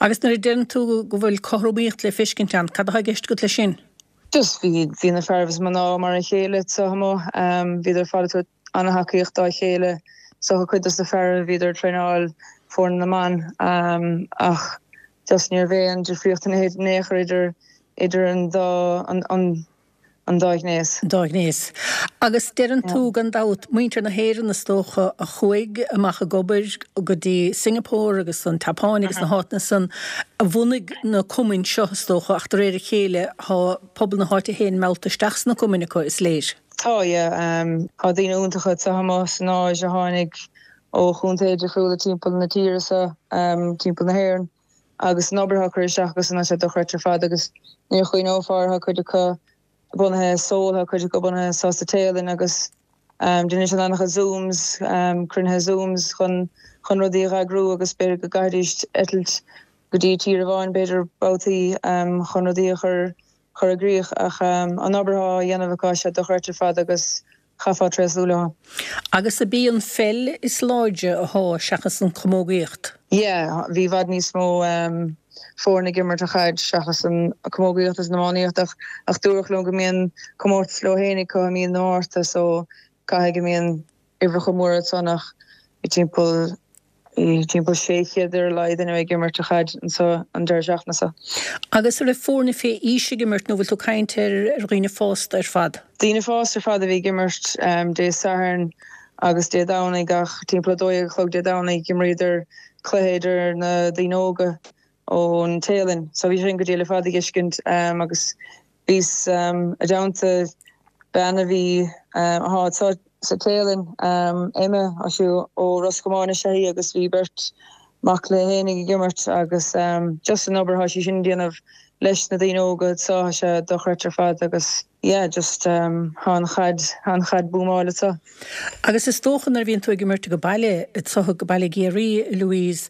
Agus nuair a deireann tú go bhfuil cothromaíocht le feiscint ann, cad atá i gceist agat leis sin? Just bhí, bhí na fearaibh is mná mar a chéile anseo amuigh, bhíodar ar fad ag tabhairt an-thacaíocht dá chéile, so cuid dos na fearaibh bhíodar ag traenáil foirne na mban ach just ní raibh aon difríocht in aon chor idir, idir an dá, an, an, An dá ghnéas. An dá ghnéas. Agus deireann tú, gan dabht, muintir na hÉireann is dócha a chuaigh amach ag obair go dtí Singapore agus an tSeapáin agus na háiteanna san a bhunaigh na cumainn seo is dócha ach de réir a chéile tá pobal na háite féin meallta isteach sna cumainn acu, is léir. Tá, yeah. Tá daoine iontacha anseo amuigh san Áis a tháinig ó chontaetha difriúla timpeall na tíre seo, timpeall na hÉireann agus an obair atá curtha isteach acu san tá sé dochreidte ar fad agus ní chuimhneofá orthu cuid acu bunaithe i Seoul, tá cuid acu bunaithe anseo sa Téalainn agus déanann siad an-chuid Zooms, cruinnithe Zooms chun chun rudaí a eagrú agus b'fhéidir go gcaithfidís eitilt go dtí tír amháin b'fhéidir babhtaí chun rudaí a chur chur i gcrích ach an obair atá á dhéanamh acu tá sé dochreidte ar fad agus chaithfeá tréaslú leo. Agus ab í an pheil is láidre athá seachas an chamógaíocht? Yeah, bhí i bhfad níos mó foirne ag imirt an chaid seachas an chamógaíocht is an iománaíocht ach ach dúradh liom go mbíonn comórtas leo féin acu i mí na Márta so caithfidh go mbíonn uimhreacha móra ansan ach bhí timpeall Bhí timpeall sé chéad ar a laghad duine ag imirt an chaid anseo an deireadh seachtaine seo. Agus an raibh foirne fé aois ag imirt nó bhfuil tú ag caint ar dhaoine fásta ar fad? Daoine fásta ar fad a bhí ag imirt Dé Sathairn agus Dé Domhnaigh ach timpeall a dó dhéag a chlog Dé Domhnaigh d'imríodar cluiche idir na daoine óga ón Téalainn. So bhí sin go diail ar fad a dh'fheiscint agus bhíos i dteannta bean a bhí atá sa Téalainn, Emma, tá sí ó Ros Comáin is ea í agus bhí beirt mac léi fhéinig ag imirt agus just an obair atá sí sin ag déanamh leis na daoine óga anseo, tá sé dochreidte ar fad agus yeah just tá an chaid, tá an chaid búmáil anseo. Agus is dócha nuair a bhíonn tú ag imirt age baile, anseo age baile i gCiarraí, Louise,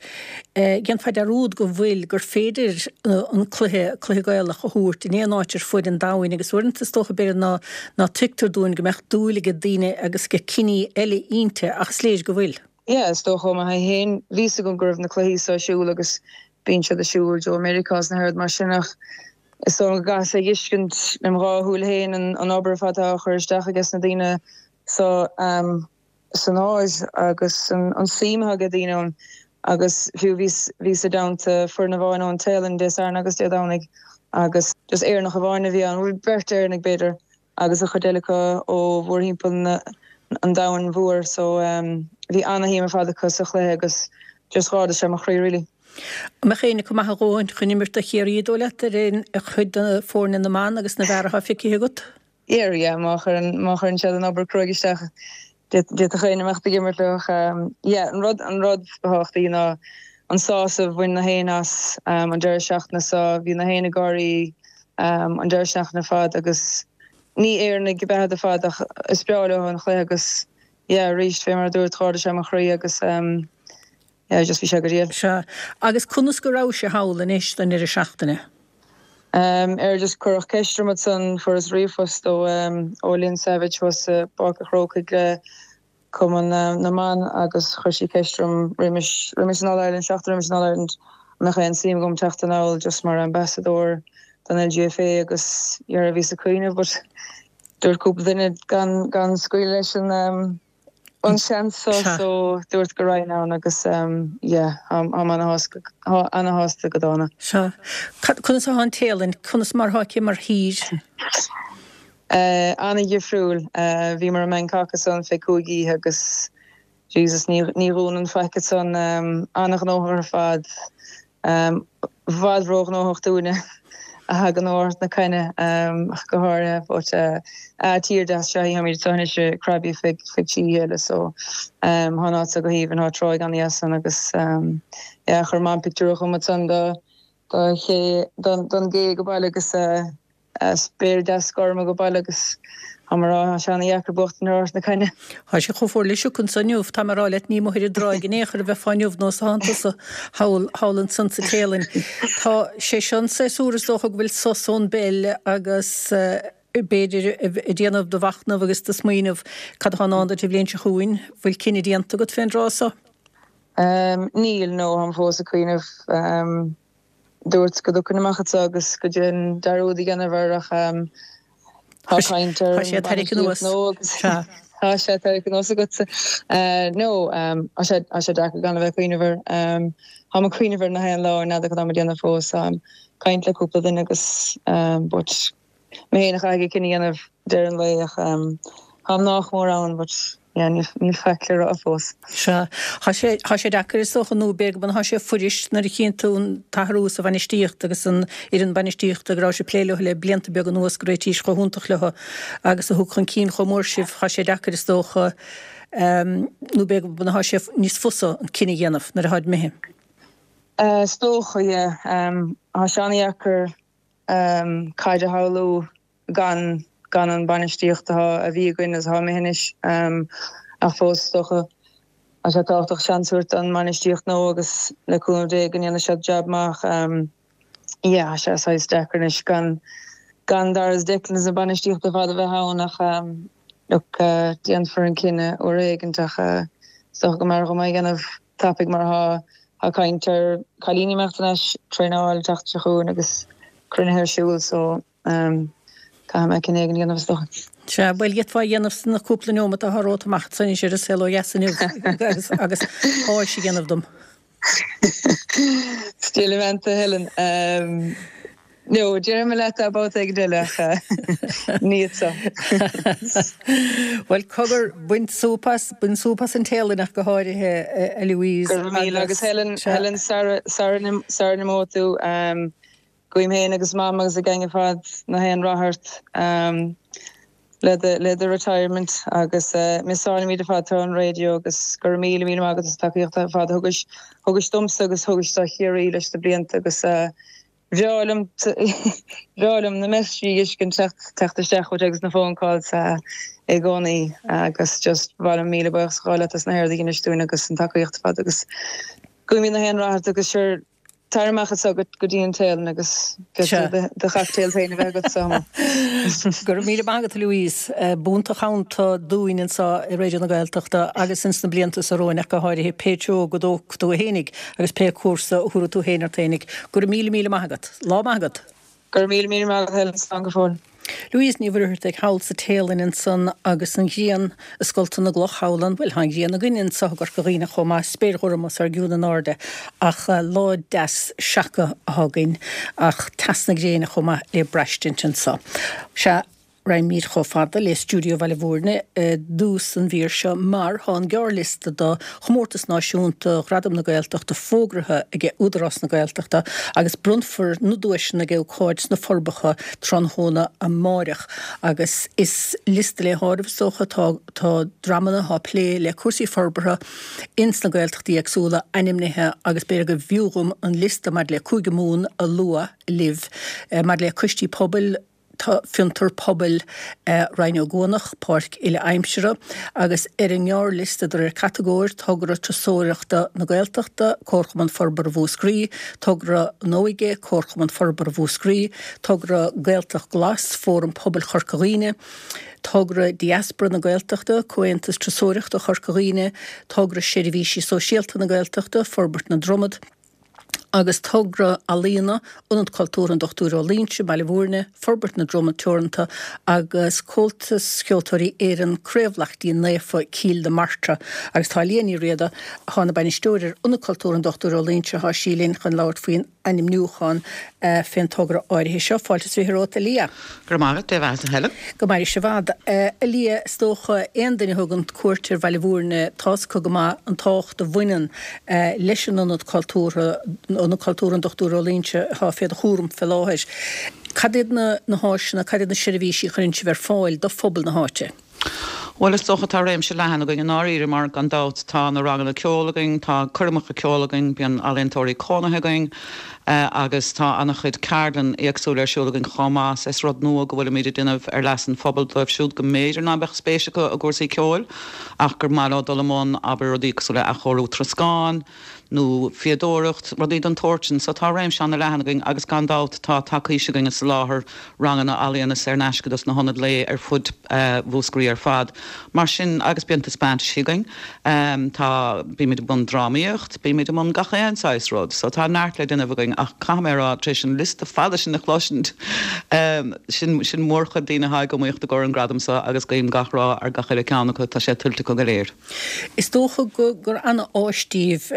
déanfá dearúd go bhfuil, gur féidir an cluiche, cluiche Gaelach a thabhairt in aon áit ar fuaid an domhain agus uaireanta is dócha b'fhéidir ná, ná tuigtear dúinn go mbeadh dúil age daoine agus age ciní eile inti ach is léir go bhfuil. Yeah, is dócha ó mo thaobh féin, bhí 'fhios agam go raibh na cluichí seo ar siúl agus bíonn siad ar siúl i Meiriceá is na rudaí mar sin ach is dóigh liom go gcaithfeá a dh'fheiscint lem dhá shúil féin an obair ar fad atá á chur isteach ages na daoine so san áit agus an suim atá age daoine ann agus fiú bhíos bhíos i dteannta foireann amháin ón Téalainn Dé Sathairn agus Dé Domhnaigh agus just Éireannach amháin a bhí ann, bhuel beirt Éireannaigh b'fhéidir agus an chuid eile acu ó mhórthimpeall na an domhain mhóir so bhí ana-shuim ar fad acu sa chluiche agus just dh'ardaigh sé mo chroí really. An mbeadh éinne acu maith a dhóthain chun imirt do Chiarraí, dóigh leat, ar aon chuid de foirne na mban agus na bhfear atá feicthe agat? Yeah, yeah, má chuireann, má chuireann siad an obair cruaidh isteach d'fhéadfadh éinne imeacht ag imirt leo ach yeah, an rud, an rud ba thábhachtaí ná an sásamh a bhain na héinne as an deireadh seachtaine so, bhí na héinne ag gáirí an deireadh seachtaine ar fad agus ní Éireannaigh ab ea iad ar fad ach is breá leo an chluiche agus yeah arís fé mar a dúirt dh'ardaigh sé mo chroí agus yeah just bhí sé go diail. Sea. Agus conas go rabhais thall anois don deireadh seachtaine? Um ar just cuireadh ceist orm ansan fuaireas ríomhphost ó ó Lynn Savage thuas i bPáirc an Chrócaigh le Cumann na mBan agus chuir sí ceist orm roimis roimis an All Ireland seachtain roimis an All Ireland an mbeadh aon suim agam teacht anall just mar ambassadóir don LGFA agus dhera bhíos ag cuimhneamh but dúirt cúpla duine gan gan scaoileadh leis an an seans so so dúirt go raghainn ann agus yeah táim ana-shásta ana-shásta go dona. Sea. Conas atá an Téalainn? Conas mar atá aici mar thír? Ana-dhifriúil. Bhíomar i mBangkok ansan fé cúig oíche agus Jesus ní ní dhúnann faic ansan. Ana-ghnóthach ar fad. I bhfad róghnóthach dúinne a thagann ó Ard na Caithne ach go háirithe but tír deas is ea í. Táimid anseo anois i Krabi feadh feadh trí oíche eile so tá an áit seo go haoibhinn. Tá tráigh ana-dheas ann agus yeah chuir Mam pictiúr chugam ansan do do ché don don gcé age baile agus Spéir deas gorm age baile agus tá mé a rá, tá sé ana-dheacair buachtaint ar Ard na Caithne. Tá sé chomh fuar le sioc anso inniu, tá mé a rá leat, ní amuigh ar an dtráigh in aon chor a bheifeá inniu nó is atánn tusa thall, thall ansan sa Téalainn. Tá sé seo an séasúr is dócha go bhfuil sos ón bpeil agus b'fhéidir ag déanamh do mhachnaimh agus do smaoineamh cad atá i ndán duit an bhliain seo chugainn. Bhfuil cinneadh déanta agat fén dtráth so? Níl, no, táim fós ag cuimhneamh. Dúirt go dtiocfainn amach anseo agus go dtéinn dearúd a dhéanamh air ach tá caint ar Tá sé tarraingthe anuas. nó agus tá sé tarraingthe anuas agatsa. No, tá sé tá sé deacair gan a bheith ag cuimhneamh air. Táim ag cuimhneamh air na haon lá, n'fheadar cad táim ag déanamh fós. Táim ag caint le cúpla duine agus but mé féin a chaithfidh an cinneadh a dhéanamh deireadh an lae ach táim nách mór ann but yeah níl faic le rá fós. Sea. Tá sé, tá sé deacair is dócha nó b'fhéidir go tá sé fuirist nuair a chíonn tú an t-athrú sa bhainistíocht agus an fhoireann bainistíochta go raibh sibh ag plé leo le blianta beaga anuas go réitís chomh hiontach leo agus a thug chun cinn chomh mór sibh, tá sé deacair is dócha nó b'fhéidir go tá sé níos fusa an cinneadh a dhéanamh nuair atáid imithe. Is dócha, yeah. Tá sé an-dheacair caid a shamhlú gan gan an bainistíocht atá a bhí againn agus atá imithe anois ach fós is dócha tá sé tábhachtach seans a thabhairt don mbainistíocht nua agus le cúnamh Dé go ndéanfaidh siad jab maith. Yeah, tá sé saghas deacair anois gan gan Dara is Declan is an bainistíocht ar fad a bheith ann ach look déanfar an cinneadh uair éigint ach is dócha go mb'fhearr dhom é a dhéanamh tapaidh mar tá tá caint ar cailíní imeacht thar n-ais, traenáil, teacht seo chugainn agus cruinnithe ar siúl so caithfidh mé cinneadh éigin a dhéanamh is dócha. Sea, bhuel, d'fhéadfá a dhéanamh sna cúpla neomat atá romhat amach ansan anois ar an Saol Ó Dheas inniu agus agus áis a dhéanamh dom. Still a Helen. Um, No, déarfaidh mé leat é babhta éigin eile ach ní anseo. Bhuel cogar bain súp as, bain súp as an Téalainn ach go háirithe a Louise. Go raibh míle agus Helen, Helen sara sara n-imeoidh tú um, guím féin agus mam agus an gang ar fad na haon rath ort um, le do le do retirement agus uh, missálaimid ar fad tú an radio agus go raibh míle míle maith agat as tacaíocht ar fad thugais thugais domsa agus thugais do Chiarraí leis na blianta agus uh, bhreá liom bhreá liom na messages a fheiscint teacht teacht isteach chugat agus na phone calls uh, i gcónaí agus just ba mhaith liom míle buíochas a ghabháil leat as na rudaí a dhéanann dúinn agus an tacaíocht ar fad agus guím na haon rath ort agus sure tar amach anseo go dtí an Téalainn agus do chocktail féin a bheith agat sa. Go raibh míle maith agat Louise, b'iontach dúinn anseo i Raidió na Gaeltachta agus ins na blianta seo romhainn ach go háirithe pé treo go dtógfaidh tú fhéinig agus pé cúrsa a thabharfaidh tú féin ort fhéinig. Go raibh míle míle maith agat. Lá maith agat. Go raibh míle míle maith agat Helen slán go fóill. Louise Ní Mhuircheartaigh thall sa Téalainn ansan agus an ghrian ag scoltadh na gcloch thall ann, bhuel tá an ghrian againn anseo i gCorca Dhuibhne chomh maith, spéir ghorm os ár gcionn in airde ach lá deas seaca atá againn ach teas na gréine chomh maith le braistint anseo. Sea, Raghaimid chomh fada le Stiúideo Bhaile Mhúirne i dtús an mhír seo mar tá an gearrliosta do chomórtas náisiúnta Ghradam na Gaeltachta fógraithe ag Údarás na Gaeltachta agus bronnfar na duaiseanna ag ócáid sna Forbacha tráthnóna amáireach agus is liosta le háireamh is dócha tá tá dreamanna atá ag plé le cúrsaí forbartha ins na Gaeltachtaí éagsúla ainmnithe agus b'fhéidir go bhfiú dhom an liosta maidir le Cúige Mumhan a lua libh maidir le coistí pobail Tá Fiontar Pobail Rinn Ó gCuanach, Páirc Uile-Aimsire, agus ar an ngearrliosta de réir catagóir, Togra Turasóireachta na Gaeltachta, Comharchumann Forbartha Mhúscraí, Togra na hÓige, Comharchumann Forbartha Mhúscraí, Togra Gaeltacht Glas, Fóram Pobail Chorca Dhuibhne, Togra Diaspora na Gaeltachta, Comhaontas Turasóireachta Chorca Dhuibhne, Togra Seirbhísí Sóisialta na Gaeltachta, Forbairt na Dromad, agus togra ealaíona, Ionad Cultúrtha an Dochtúir Ó Loingsigh, Baile Mhúirne, Forbairt na Droma Teoranta agus Comhaltas Ceoltóirí Éireann, Craobh Laichtín Naofa, Cill na Martra. Agus tá Liadh Ní Riada, atá ina bainisteoir ar Ionad Cultúrtha an Dochtúir Ó Loingsigh, tá sí linn chun labhairt faoin ainmniúchán fén togra áirithe seo. Fáilte is fiche romhat, a Liadh. Go raibh maith agat, Dia bheatha, Helen. Go maire sibh i bhfad. A Liadh, is dócha aon duine a thugann cuairt ar Bhaile Mhúirne, tá's acu go maith an tábhacht a bhaineann leis an Ionad Cultúrtha, Ionad Cultúrtha an Dochtúir Ó Loingsigh atá fé do chúram fé láthair. Cad iad na na háiseanna, cad iad na seirbhísí a chuireann sibh ar fáil do phobal na háite? Bhuel, is dócha tá réimse leathan againn i ndáiríre mar gan dabht tá na ranganna ceoil againn, tá coirmeacha ceoil againn, bíonn ealaíontóirí cónaithe againn agus tá an-chuid ceardlann éagsúil ar siúl againn chomh maith. Is rud nua go bhfuilimid ag déanamh ar leas an phobail dóibh siúd go mb'fhéidir ná beadh spéis acu i gcúrsaí ceoil ach gur maith leo dul i mbun abair rudaí cosúil le athchóiriú troscáin, nó fíodóireacht, rudaí den tsórt sin. So tá réimse an-leathan againn agus gan dabht tá tacaís againn ag soláthar ranganna ealaíona saor in aisce dos na hionaid lae ar fud Mhúscraí ar fad. Mar sin, agus bíonn taispeántaisí againn, tá, bímid i mbun drámaíocht, bímid i mbun gach aon saghas rud. So tá neart le déanamh againn ach caithfidh mé a rá, tar éis an liosta fada sin a chloisint, sin, sin mórchuid daoine atá ag iomaíocht i gcomhair an gradam seo agus guím gach rath ar gach uile ceann acu, tá sé tuillte acu go léir. Is dócha gur ana-áis daoibh,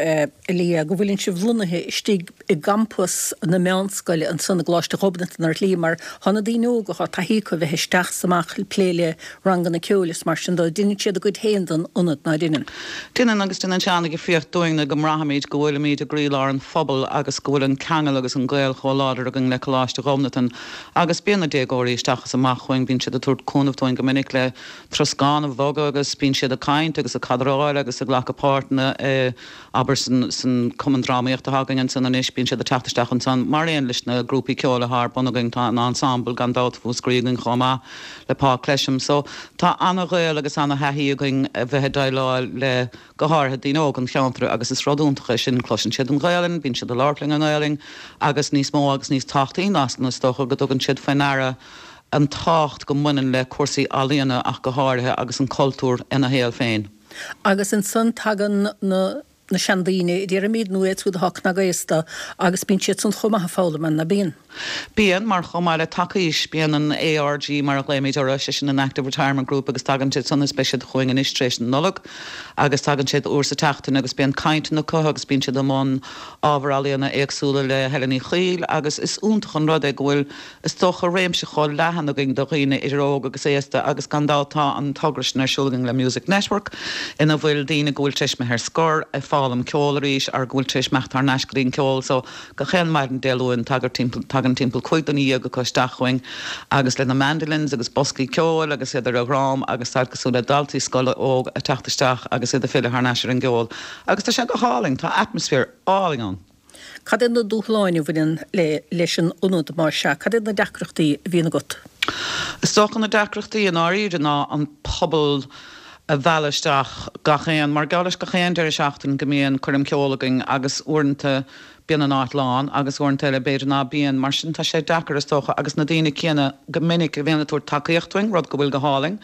a Liadh, go bhfuileann sibh lonnaithe istigh i gcampas na meánscoile ansan i gColáiste Ghobnatan ar shlí mar tá na daoine óga, tá taithí acu a bheith isteach 's amach ag plé le ranganna ceoil is mar sin dó. Deineann siad a gcuid féin den ionad, ná deineann? Deineann agus deineann sé an-dhifríocht dúinne go mbraithimid go bhfuilimid i gcroílár an phobail agus go bhfuil an ceangal agus an gaol chomh láidir againn le Coláiste Ghobnatan agus bíonn na déagóirí isteach is amach chugainn, bíonn siad ag tabhairt cúnamh dúinn go minic le troscán a bhogadh agus bíonn siad ag caint agus ag cadráil agus ag glacadh páirteanna i, abair, san, san cumann drámaíochta atá againn ansan anois, bíonn siad ag teacht isteach ansan mar aon leis na grúpaí ceoil atá ar bun againn, tá an ensemble gan dabht Mhúscraí againn chomh maith le Paul Clesham. So tá ana-ghaol agus ana-thaithí againn a bheith ag déileáil le go háirithe daoine óga an cheantair agus is rud iontach é sin, cloiseann siad an Ghaelainn, bíonn siad ag labhairt linn i nGaelainn agus níos mó agus níos tábhachtaí ná san is dócha go dtugann siad faoi ndeara an tábhacht go mbaineann le cúrsaí ealaíona ach go háirithe agus an cultúr ina shaol féin. Agus ansan tagann na na seandaoine, déarfaimid, nó iad siúd atá cnagaosta agus bíonn siad san chomh maith ag foghlaim ann, ná bíonn? Bíonn, mar chomh maith le Taca Aois, bíonn an ARG mar a ghlaoimid orthu, sé sin an Active Retirement Group agus tagann siad san is beidh siad chugainn anois tar éis na Nollag agus tagann siad uair sa tseachtain agus bíonn cainteanna acu agus bíonn siad i mbun ábhar ealaíona éagsúla le Helen Uí Chaoill agus is iontach an rud é go bhfuil is dócha réimse chomh leathan againn do dhaoine idir óg agus aosta agus gan dabht tá an togra sin ar siúl againn le Music Network ina bhfuil daoine go bhfuil tar éis imeacht ar scor ag foghlaim ceol arís or go bhfuil tar éis imeacht thar n-ais go dtí an ceol so gach aon maidin Dé Luain tagann timpeall tagann timpeall cúig duine dhéag acu isteach chugainn agus lena mandolins agus boscaí ceoil agus iad ar a dhrom agus tá cosúil le daltaí scoile óg ag teacht isteach agus iad ag filleadh thar n-ais ar an gceol agus tá sé go hálainn, tá atmaisféar álainn ann. Cad iad na dúshláin a bhaineann le leis an ionad más ea? Cad iad na deacrachtaí a bhíonn agat? Is dócha na deacrachtaí i ndáiríre ná an pobal a mhealladh isteach gach aon, mar gheall leis gach aon deireadh seachtain go mbíonn coirm ceoil againn agus uaireanta bíonn an áit lán agus uaireanta eile b'fhéidir ná bíonn, mar sin tá sé deacair is dócha agus na daoine céanna go minic a bhíonn ag tabhairt tacaíocht dúinn, rud go bhfuil go hálainn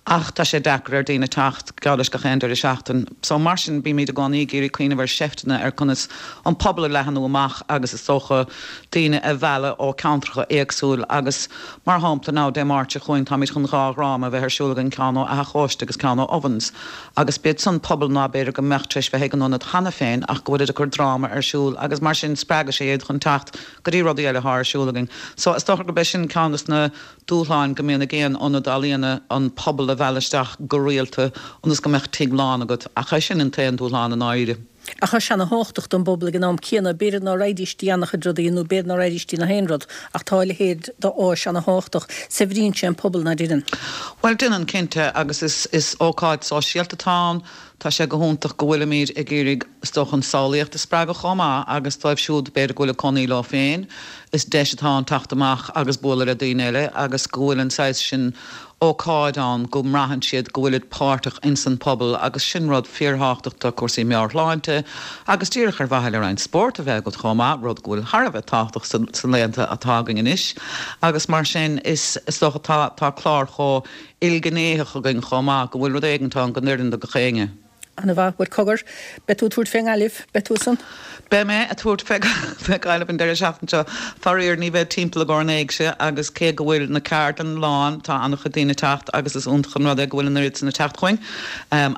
ach tá sé deacair ar daoine teacht geall leis gach aon deireadh seachtain. So mar sin bímid i gcónaí ag iarraidh cuimhneamh ar seifteanna ar conas an pobal a leathanú amach agus is dócha daoine a mhealladh ó ceantracha éagsúil agus mar shampla now Dé Máirt seo chugainn táimid chun dhá dhráma a bheith ar siúl againn ceann ó Achadh Chóiste agus ceann ó Ovens agus b'iad san pobal ná b'fhéidir go mbeadh tar éis bheith ag an ionad cheana féin ach go bhfuilid ag cur dráma ar siúl agus mar sin spreagadh sé iad chun teacht go dtí rudaí eile atá ar siúl againn. So is dócha gurb é sin ceann des na dúshláin go mbíonn ag aon ionad ealaíona an pobal a mhealladh isteach go rialta ionas go mbeadh tigh lán agat, ach é sin an t-aon dúshlán i ndáiríre. Ach tá sé ana-thábhachtach don bpobal ag an am céanna. B'fhéidir ná raghaidís dtí an-chuid rudaí nó b'fhéidir ná raghaidís dtí na haon rud ach tá a leithéid d'áis ana-thábhachtach. Saibhríonn sé an pobal, ná deineann? Bhuel, deineann, cinnte, agus is is ócáid sóisialta atá ann. Tá sé go hiontach go bhfuilimid ag iarraidh, is dócha, an samhlaíocht a spreagadh chomh maith agus dóibh siúd b'fhéidir go bhfuil ag cónaí leo féin, is deis atá ann teacht amach agus bualadh le daoine eile agus go bhfuil an saghas sin ócáid ann go mbraitheann siad go bhfuilid páirteach ins an pobal agus sin rud fíorthábhachtach do cúrsaí meabhairshláinte agus díreach ar mhaithe le roinnt spóirt a bheith agat chomh maith, rud go bhfuil thar a bheith tábhachtach sa laethanta atá againn anois agus mar sin is is dócha tá tá clár chomh ilghnéitheach againn chomh maith go bhfuil rud éigint ann go n-oireann do gach éinne. Ana mhaith. Bhuel, cogar, beidh tú ag tabhairt fé nGaillimh, beidh tú san? Beidh mé ag tabhairt fé Ghaillimh an deireadh seachtaine seo. Faraor, ní bheidh timpeall i gcomhair an éigse agus cé go bhfuil na ceardlanna lán, tá an-chuid daoine ag teacht agus is iontach an rud é go bhfuil an oiread san ag teacht chugainn.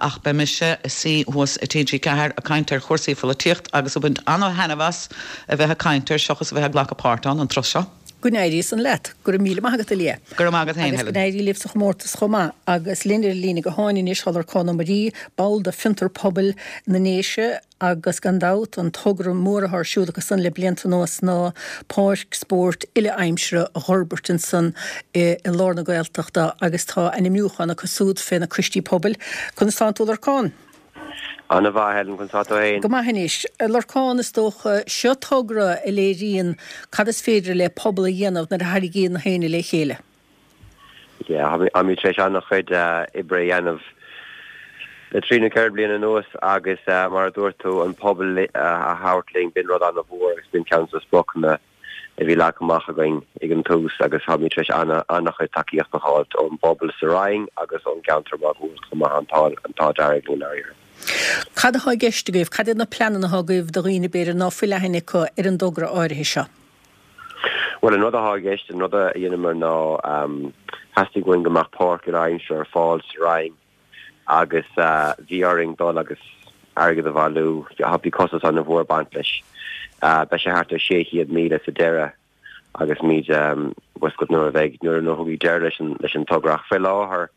Ach beidh mise ag suí thuas i TG Ceathair ag caint ar chúrsaí pholaitíocht agus ag baint an-thaitneamh as a bheith ag caint air seachas a bheith ag glacadh páirt ann an turas seo. Go n-éirí san leat. Go raibh míle maith agat, a Leah. Go raibh maith agat féin, Agus go Helen. n-éirí libh sa chomórtas chomh maith. Agus linn ar an líne gutháin anois tá Lorcán Ó Muirí, ball de Fiontar Pobail na nDéise agus gan dabht an togra mór atá ar siúl acu san le blianta anuas ná páirc spóirt uile-aimsire a dh'fhorbairt ansan i lár na Gaeltachta agus tá ainmniúchán acu súd fé na coistí pobail. Conas tánn tú, Lorcán? Ana mhaith, Helen, conas tá tú fhéin? Go maith anois. A Lorcán, is dócha, seo togra a léiríonn cad is féidir le pobal a dhéanamh nuair a tharraingíonn na héinne le chéile. Yeah, táimid tar éis an-chuid oibre a dhéanamh le trí nó ceithre bliana anuas agus mar a dúirt tú, an pobal a thabhairt linn, b'in rud an-mhór agus b'in ceann de na spriocanna a bhí leagtha amach againn ag an tús agus táimid tar éis an-chuid tacaíocht a fháilt ón bpobal sa Rinn agus ón gceantar máguaird chomh maith, an t-ádh dearg linn i ndáiríre. Cad atá i gceist agaibh? Cad iad na pleananna atá agaibh do dhaoine b'fhéidir ná fuil aithne acu ar an dtogra áirithe seo? Bhuel, an rud atá i gceist, an rud a dheineamar ná theastaigh uainn go mbeadh páirc uile-aimsire ar fáil sa Rinn agus bhí orainn dul agus airgead a bhailiú. Bhí costas an-mhór ag baint leis. Beidh sé thart ar sé chéad míle sa deireadh agus muid bhfuil agat nuair a bheidh, nuair a thiocfaidh deireadh leis an leis an togra. Ach fé láthair,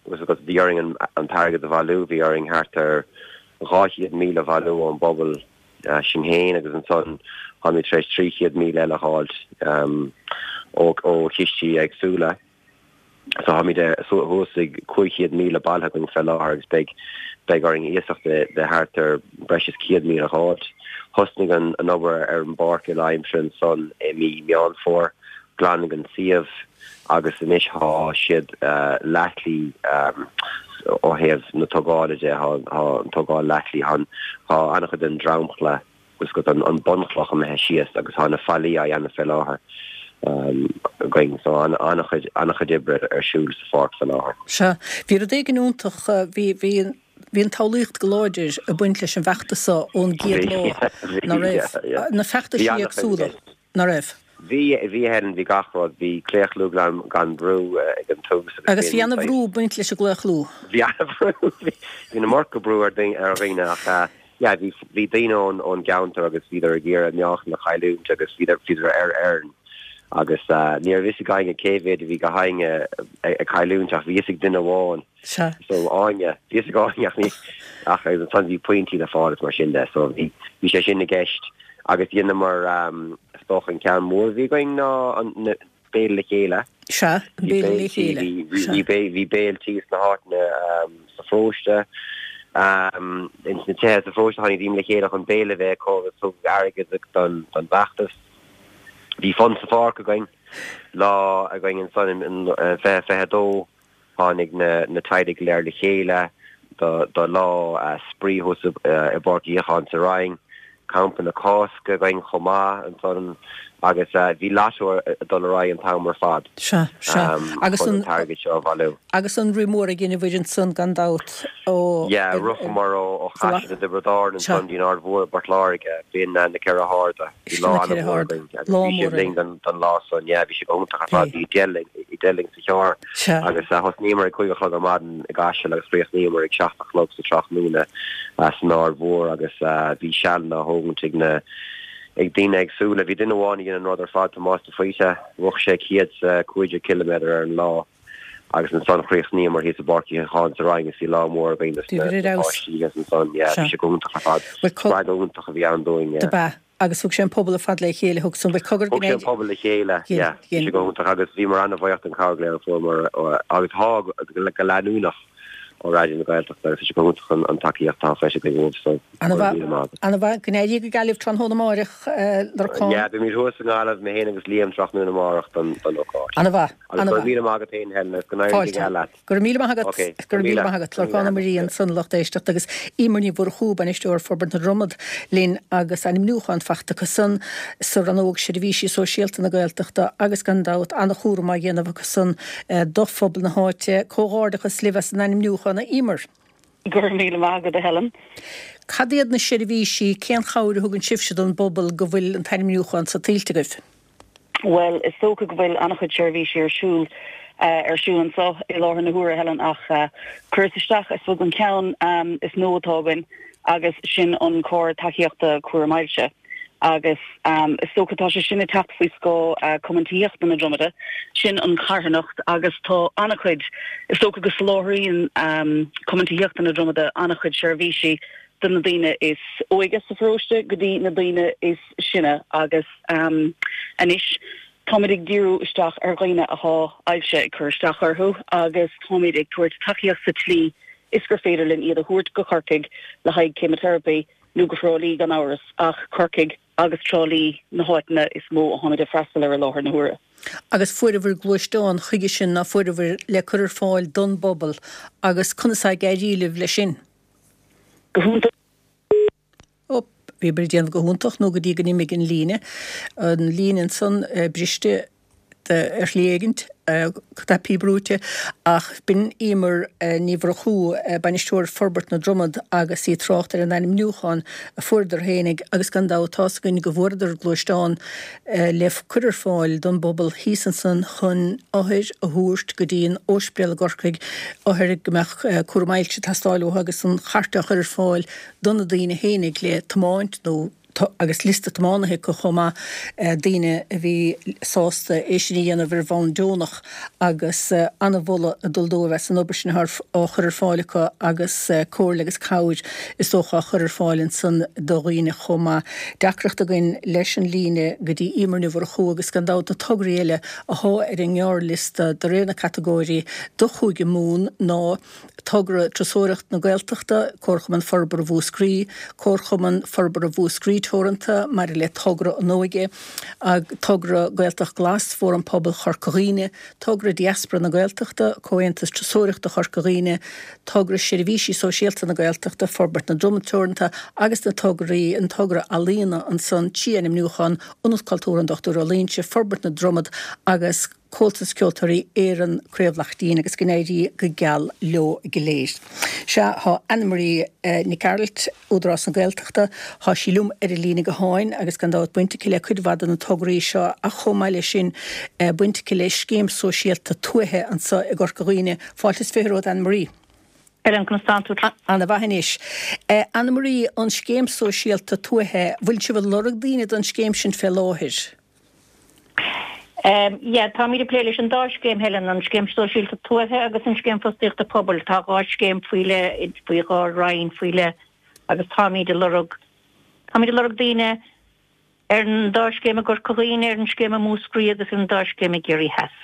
bhfuil agat, bhí orainn an t-airgead a bhailiú, bhí orainn thart ar dhá chéad míle a bhailiú ón bpobal sinn féin agus ansan táimid tar éis trí chéad míle eile a fháilt ó ó chistí éagsúla. So táimid thuas ag cúig chéad míle bailithe againn fé láthair agus beidh beidh orainn iasacht de de thart ar breis is céad míle a dh'fháilt. Thosnaigh an an obair ar an bpáirc uile-aimsire ansan i mí Meán Fómhair, glanadh an suíomh agus anois thá siad leathshlí ó thaobh na tógála de, thá thá an tógáil leathshlí, thá thá an-chuid den dromchla bhfuil agat an bunchloch imithe síos agus tá na fallaí á dhéanamh fé láthair againn so an-chuid an-chuid oibre ar siúl sa pháirc fé láthair. Sea, bhí rud éigin iontach, bhí, bhí, bhí an tsamhlaíocht go láidir ag baint leis an bhfeachtas seo ón gcéad lá, ná raibh? Na feachtaisí éagsúla, ná raibh? Bhí, bhí a Helen, bhí gach rud, bhí claochlú gan, gan brú ag an tús agus Agus bhí ana-bhrú ag baint leis an gclaochlú. Bhí ana-bhrú, bhí, bhí an iomarca brú ar daoine, ar dhaoine ach yeah, bhí, bhí daoine ón, ón gceantar agus bhíodar ag iarraidh meáchan a chailliúint agus bhíodar, bhíodar ar Éirinn. Agus ní raibh fhios ag éinne cé mhéad a bhí gach éinne ag cailliúint ach bhí fhios ag duine amháin. Sea. So Áine, bhí fhios ag Áine ach ní, ach ansan bhí pointí le fáil is mar sin de. So bhí, bhí sé sin i gceist agus dheineamar, is dócha an ceann mór a bhí againn ná an, na, Béile le Chéile. Sea, an Bhí Béile le béiltí, Chéile. bhí, bhí, Sea. bhí bé, bhí béiltí sna háiteanna sa pharóiste. Ins na tithe sa pharóiste tháinig daoine le chéile chun béile a bheith acu agus tugadh airgead don, don bhfeachtas. Bhí Fun sa Pháirc againn lá againn ansan in fiche fiche a dó. Tháinig na na teaghlaigh go léir le chéile do do lá spraoi thuas i bPáirc Uí Fhiacháin sa Rinn. Campa na Cásca againn chomh maith ansan agus bhí lotto ag dul ar aghaidh an t-am ar fad Sea, sea. Agus chun an an t-airgead seo a bhailiú. Agus an rith mór a dheineabhair ansan gan dabht ó Yeah, ritheamar ó ó Chaiseal i dTiobraid Árann Sea. ansan go dtí an Aird Mhór i bPort Láirge, b'in na Ceithre hArda. Bhí Sin lá na Ceithre an-mhór hArda. againn agus Lá bhí mór sibh linn eile. don don lá san, yeah, bhí sé go hiontach ar fad, Bhí. bhí deich linn deich linn sa charr Sea. agus thosnaíomar ag cúig a chlog ar maidin i gCaiseal agus chríochnaíomar ag seacht a chlog sa tráthnóna san Aird Mhór agus bhí sealanna á thógaint ag na ag daoine éagsúla. Bhí duine amháin a dhein an rud ar fad, Tomás de Faoite, rith sé céad is a cúig déag ciliméadar ar an lá agus ansan chríochnaíomar thíos i bPáirc Uí Fhiacháin sa Rinn agus bhí lá mór againn dos Bhí na ar fheabhas. páistí agus ansan, yeah, bhí Sea. sé go hiontach ar fad. Bhuel, co- Spreagadh iontach a bhí ann dúinn, yeah. Do b'ea. Agus thug sé an pobal ar fad le chéile, thug san, bhuel, cogar Thug sé an pobal le chéile, Ghin, yeah, bhí ghin. sé go hiontach agus bhíomar an-bhuíoch den chabhair go léir a fuaireamar agus tá go leanúnach ó Raidió na Gaeltachta agus tá sé go hiontach an an tacaíocht atá faighte againn uaibh so Ana go raibh míle maith agat. Ana mhaith, go n-éirí go Gaillimh tráthnóna amárach, Lorcán. Yeah, beimid thuas i nGaillimh, mé féin agus Liam tráthnóna amárach don don ócáid. Ana mhaith, Agus ana go raibh mhaith. míle maith agat féin Helen agus go n-éirí go Fáilte. geal leat. Go raibh míle maith agat, Okay, go raibh míle míle. maith agat, Go raibh Lorcán Ó míle Muirí agat. ansan lucht éisteachta agus Eimear Ní Mhurchú, bainisteoir Forbairt na Dromad linn agus ainmniúchán faighte acu san sa rannóg Seirbhísí Sóisialta na Gaeltachta agus gan dabht an-chúram á dhéanamh acu san do phobal na háite. Comhghairdeachas libh as an ainmniúchán a Eimear. Go raibh míle maith agat a Helen. Cad iad na seirbhísí, cén chabhair a thugann sibhse don bpobal go bhfuil an t-ainmniúchán sa tuillte agaibh? Well, is dócha go bhfuil an-chuid seirbhísí ar siúl uh, ar siúl anseo i láthair na huaire Helen ach uh, cuireadh isteach is an ceann um, is nua atá againn agus sin an cór tacaíochta cúram ailse. Agus um, is dócha tá sé sin ag teacht faoi scáth uh, Cumann Tithíochta na Dromada, sin an carthanacht agus tá an-chuid is dócha go soláthraíonn um, Cumann Tithíochta na Dromada an-chuid seirbhísí do na daoine is óige sa pharóiste go dtí na daoine is sine agus um, anois táimid ag díriú isteach ar dhaoine atá ailse ag cur isteach orthu agus táimid ag tabhairt tacaíocht sa tslí is gur féidir linn iad a thabhairt go Corcaigh le haghaidh ceimiteiripí nó go Trá Lí gan amhras ach Corcaigh agus Trá Lí na háiteanna is mó a tháimid ag freastal ar i láthair na huaire. Agus fuaireabhair gluaisteán chuige sin ná fuaireabhair le cur ar fáil don bpobal agus conas ag éirí libh leis sin. Go hiontach Ó, bhí ag déanamh go hiontach nó go dtí go n-imigh an líne. An líne ansan eh, briste de- ar shlí éigint, eh, cnaipí brúite, ach b'in Eimear eh, Ní Mhurchú eh, bainisteoir Forbairt na Dromad agus í ag trácht ar an ainmniúchán a fuaireadar fhéinig agus gan dabht tá's againn go bhfuaireadar gluaisteán eh, le cur ar fáil don bpobal thíos ansan chun othair a thabhairt go dtí an ospidéal i gCorcaigh, othair go mbeadh eh, cúram ailse ag teastáil uathu agus an chairt a chur ar fáil do na daoine fhéinig le tiomáint nó agus liosta tiománaithe acu chomh maith eh, daoine a bhí sásta é sin a dhéanamh ar bhonn deonach agus eh, an-mholadh ag dul dóibh as an obair sin á chur ar fáil acu agus eh, comhairle agus cabhair is dócha á chur ar fáil ansan do dhaoine chomh maith. Deacracht againn leis an líne go dtí Eimear Ní Mhurchú agus gan dabht na tograí eile atá ar an ngearrliosta de réir na catagóirí do Chúige Mumhan ná togra Turasóireacht na Gaeltachta, Comharchumann Forbartha Mhúscraí, Comharchumann Forbartha Mhúscraí Teoranta maidir le togra an óige, ag togra Gaeltacht Glas, Fóram Pobail Chorca Dhuibhne, togra Diaspora na Gaeltachta, Comhaontas Turasóireachta Chorca Dhuibhne, togra Seirbhísí Sóisialta na Gaeltachta, Forbairt na Dromad Teoranta agus na tograí an togra ealaíona ansan trí ainmniúchán Ionad Cultúrtha an Dochtúir Ó Loingsigh, Forbairt na Dromad agus Comhaltas Ceoltóirí Éireann Craobh Laichtín agus go n-éirí go geal leo go léir. Sea, tá Annemarie Nic Gearailt, Údarás na Gaeltachta, tá sí liom ar an líne gutháin agus gan dabht baint aici le cuid mhaith de na tograí seo ach chomh maith leis sin baint aici le scéim sóisialta tuaithe anseo i gCorca Dhuibhne. Fáilte is fiche romhat Annemarie. Helen, conas tánn tú? Ana-mhaith anois. Annemarie, an scéim sóisialta tuaithe, bhfuil sibh ag lorg daoine don scéim sin fé láthair? Um, yeah, táimid ag plé leis an dá scéim Helen, an scéim sóisialta tuaithe agus an scéim fostaíochta pobail. Tá dhá scéim faoi leith faoi dhá roinn faoi leith agus táimid ag lorg táimid ag lorg daoine ar an dá scéim i gCorca Dhuibhne, ar an scéim i Múscraí agus ar an dá scéim i gCiarraí Theas.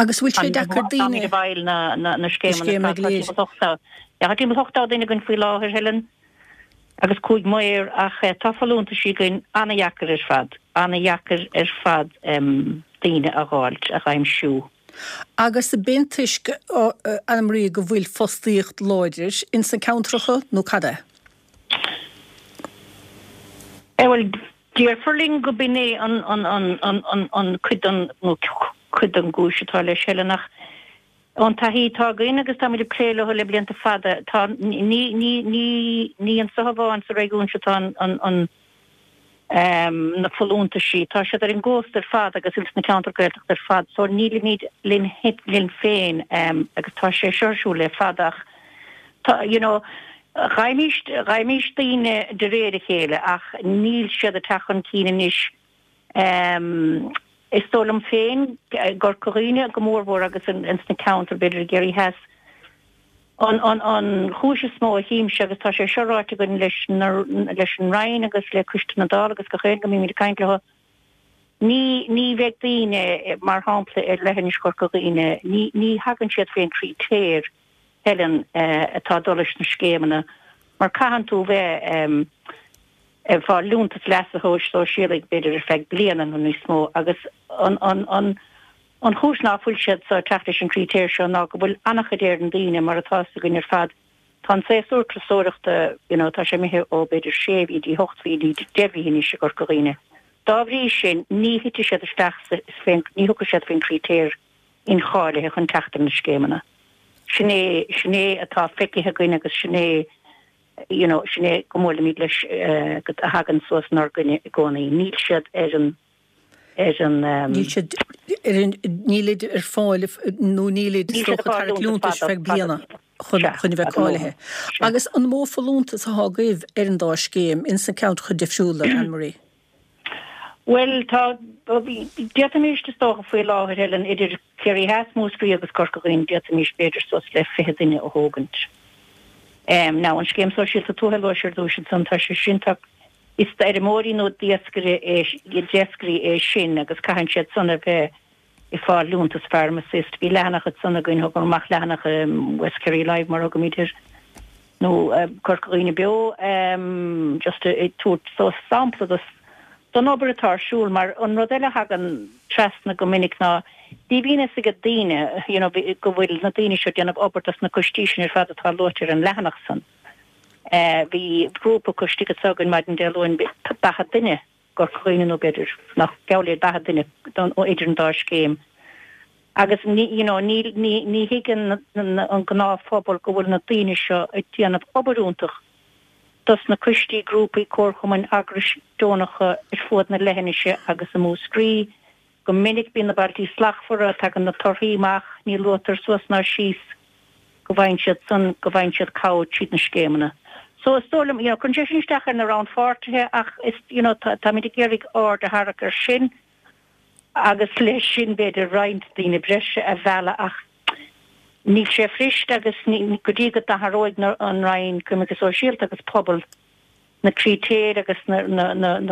Agus bhfuil sé deacair daoine Táimid i bhfeighil na, na, na scéimeanna go léir. Tá timpeall ochtó duine againn faoi láthair Helen agus cúig maor ach tá folúntaisí againn ana-dheacair ar fad, ana-dheacair ar fad daoine a dh'fháilt, a dh'aimsiú. Agus b'in toisc, Annemarie, go bhfuil fostaíocht láidir ins na ceantracha nó cad é? Eh bhuel, déarfar linn go b'in é an, an, an, an, an, an cuid den, nó cuid den gcúis atá leis, Helen, ach Ón taithí atá againn, agus táimid ag plé leo le blianta fada, tá, ní, ní, ní, ní anseo amháin sa réigiún seo atá an, an, an, na folúntaisí, tá siad ar an gcósta ar fad agus ins na ceantair Gaeltachta ar fad, so nílimid linn, linn féin agus tá sé seo ar siúl le fada ach tá, you know, gheibhimís, gheibhimís daoine de réir a chéile ach níl siad ag teacht chun cinn anois. Is dóigh liom féin, i gCorca Dhuibhne go mórmhór agus ins na ceantair, b'fhéidir i gCiarraí Theas, an an chúis is mó a chímse, agus tá sé seo ráite againn leis leis an Roinn agus le Coiste na Dála agus gach aon go mbímid ag caint leo, ní ní bheidh daoine, mar shampla ar leithinis Chorca Dhuibhne, ní ní thagann siad faoin critéir, Helen, atá ag dul leis na scéimeanna mar caitheann tú bheith ag fáil liúntas leasa shóisialaigh b'fhéidir ar feadh bliana nó níos mó agus an an an an chúis ná fuil siad so ag teacht leis an critéir seo ná go bhfuil an-chuid Éireann daoine mar atá fhios againn ar fad tá an séasúr turasóireachta you know tá sé imithe ó b'fhéidir sé mhí dtí hocht mhí dtí deich mhí anois i gCorca Dhuibhne. Dá bhrí sin ní thitfidh siad isteach sa féin ní thiocfaidh siad faoin critéir incháilithe chun teacht ar na scéimeanna. Sin é sin é atá feicthe againn agus sin é you know, sin é go mbuailimid leis go a thagann suas inár gcoinne i gcónaí. Níl siad ar an ar an Níl siad ar an nílid ar fáil nó nílid Níl siad is dócha ag fáil tarraingt liúntas liúntais fada feadh bliana fada. chun Sea, chun a bheith fada nó cáilithe. Sea. Agus an mó folúntas atá agaibh ar an dá scéim ins na ceantracha difriúla, Anne-Marie? Bhuel, tá, d'fhéadfaimis, is dócha, faoi láthair, Helen, idir Ciarraí Theas, Múscraí agus Corca Dhuibhne, d'fhéadfaimis b'fhéidir suas le fiche duine a thógaint. Now, an Scéim Sóisialta Tuaithe a luais ar dtúis ansan, tá sé sin, tá, is d'fheirmeoirí nó d'iascairí é, d'iascairí é sin agus caitheann siad san a bheith ag fáil liúntas Farm Assist. Bhí leathanach ansan againn, thugamar amach leathanach West Kerry Live mar a thugaimid air, nó Corca Dhuibhne Beo, just ag tabhairt so sampla dos don obair atá ar siúl mar an rud eile a thagann trasna go minic ná ní bhíonn fhios ag daoine you know go bhfuil na daoine seo ag déanamh obair dos na coistí sin ar fad atá luaite ar an leathanach san. Bhí grúpa coistí anseo againn maidin Dé Luain daichead duine i gCorca Dhuibhne nó b'fhéidir nach geall le daichead duine don idir an dá scéim agus ní you know ní ní ní thuigeann an gnáthphobal go bhfuil na daoine seo ag déanamh obair iontach dos na coistí, grúpaí, comharchumainn, eagrais deonacha ar fuaid na leithinise agus i Múscraí. Go minic bíonn na Bailtí Slachtmhara, tagann na torthaí amach, ní luaitear suas ná síos go bhfaigheann siad san, go bhfaigheann siad cabhair tríd na scéimeanna. So is dóigh liom, you know, cuireann sé sin isteach ar na rannpháirtithe ach is, you know, táimid ag iarraidh aird a tharrac air sin agus leis sin b'fhéidir roinnt daoine breise a mhealladh ach Níl sé fuirist agus go dtí go n-athróidh an Roinn Coimirce Sóisialta agus Pobal na critéir agus na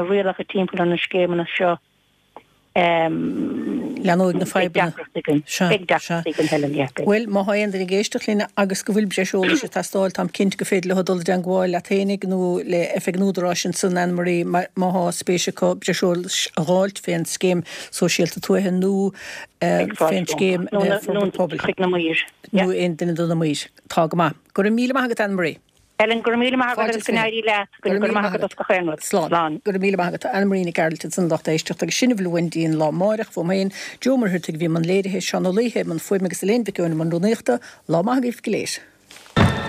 rialacha timpeall ar na scéimeanna seo, Leanóidh na beidh fadhbanna. deacracht againn. Sea, Beidh sea. deacracht againn, Helen, yeah, beidh. Bhuel, má thá aon duine ag éisteacht linn agus go bhfuil breis eolais ag teastáil, táim cinnte go féidir leo dul i dteangmháil leat fhéinig nó le Oifig an Údaráis ansan, Anne-Marie, má thá spéis acu breis eolais a dh'fháilt fén Scéim Sóisialta Tuaithe nó Ag fáilte fén rompu. Scéim Nó na, Forbartha nó Pobail. chuig na maoir. Nó Yeah. aon duine de na maoir. Tá go maith. Go raibh míle maith agat, Anne-Marie. Helen, go raibh míle maith agat Fáilte agus is go fiche. n-éirí leat. Go Go raibh raibh míle maith maith agat agat. as gach aon rud. Slán. Slán. Go raibh míle maith agat. Anne-Marie Nic Gearailt ansan a lucht éisteachta agus sin a bhfuil uainn go dtí an lá amáireach uaim féin, Joe Ó Muircheartaigh a bhí i mbun léirithe, Seán Ó Laoithe i mbun fuaime agus Elaine Mhic Eoin i mbun rúnaíochta. Lá maith agaibh go léir.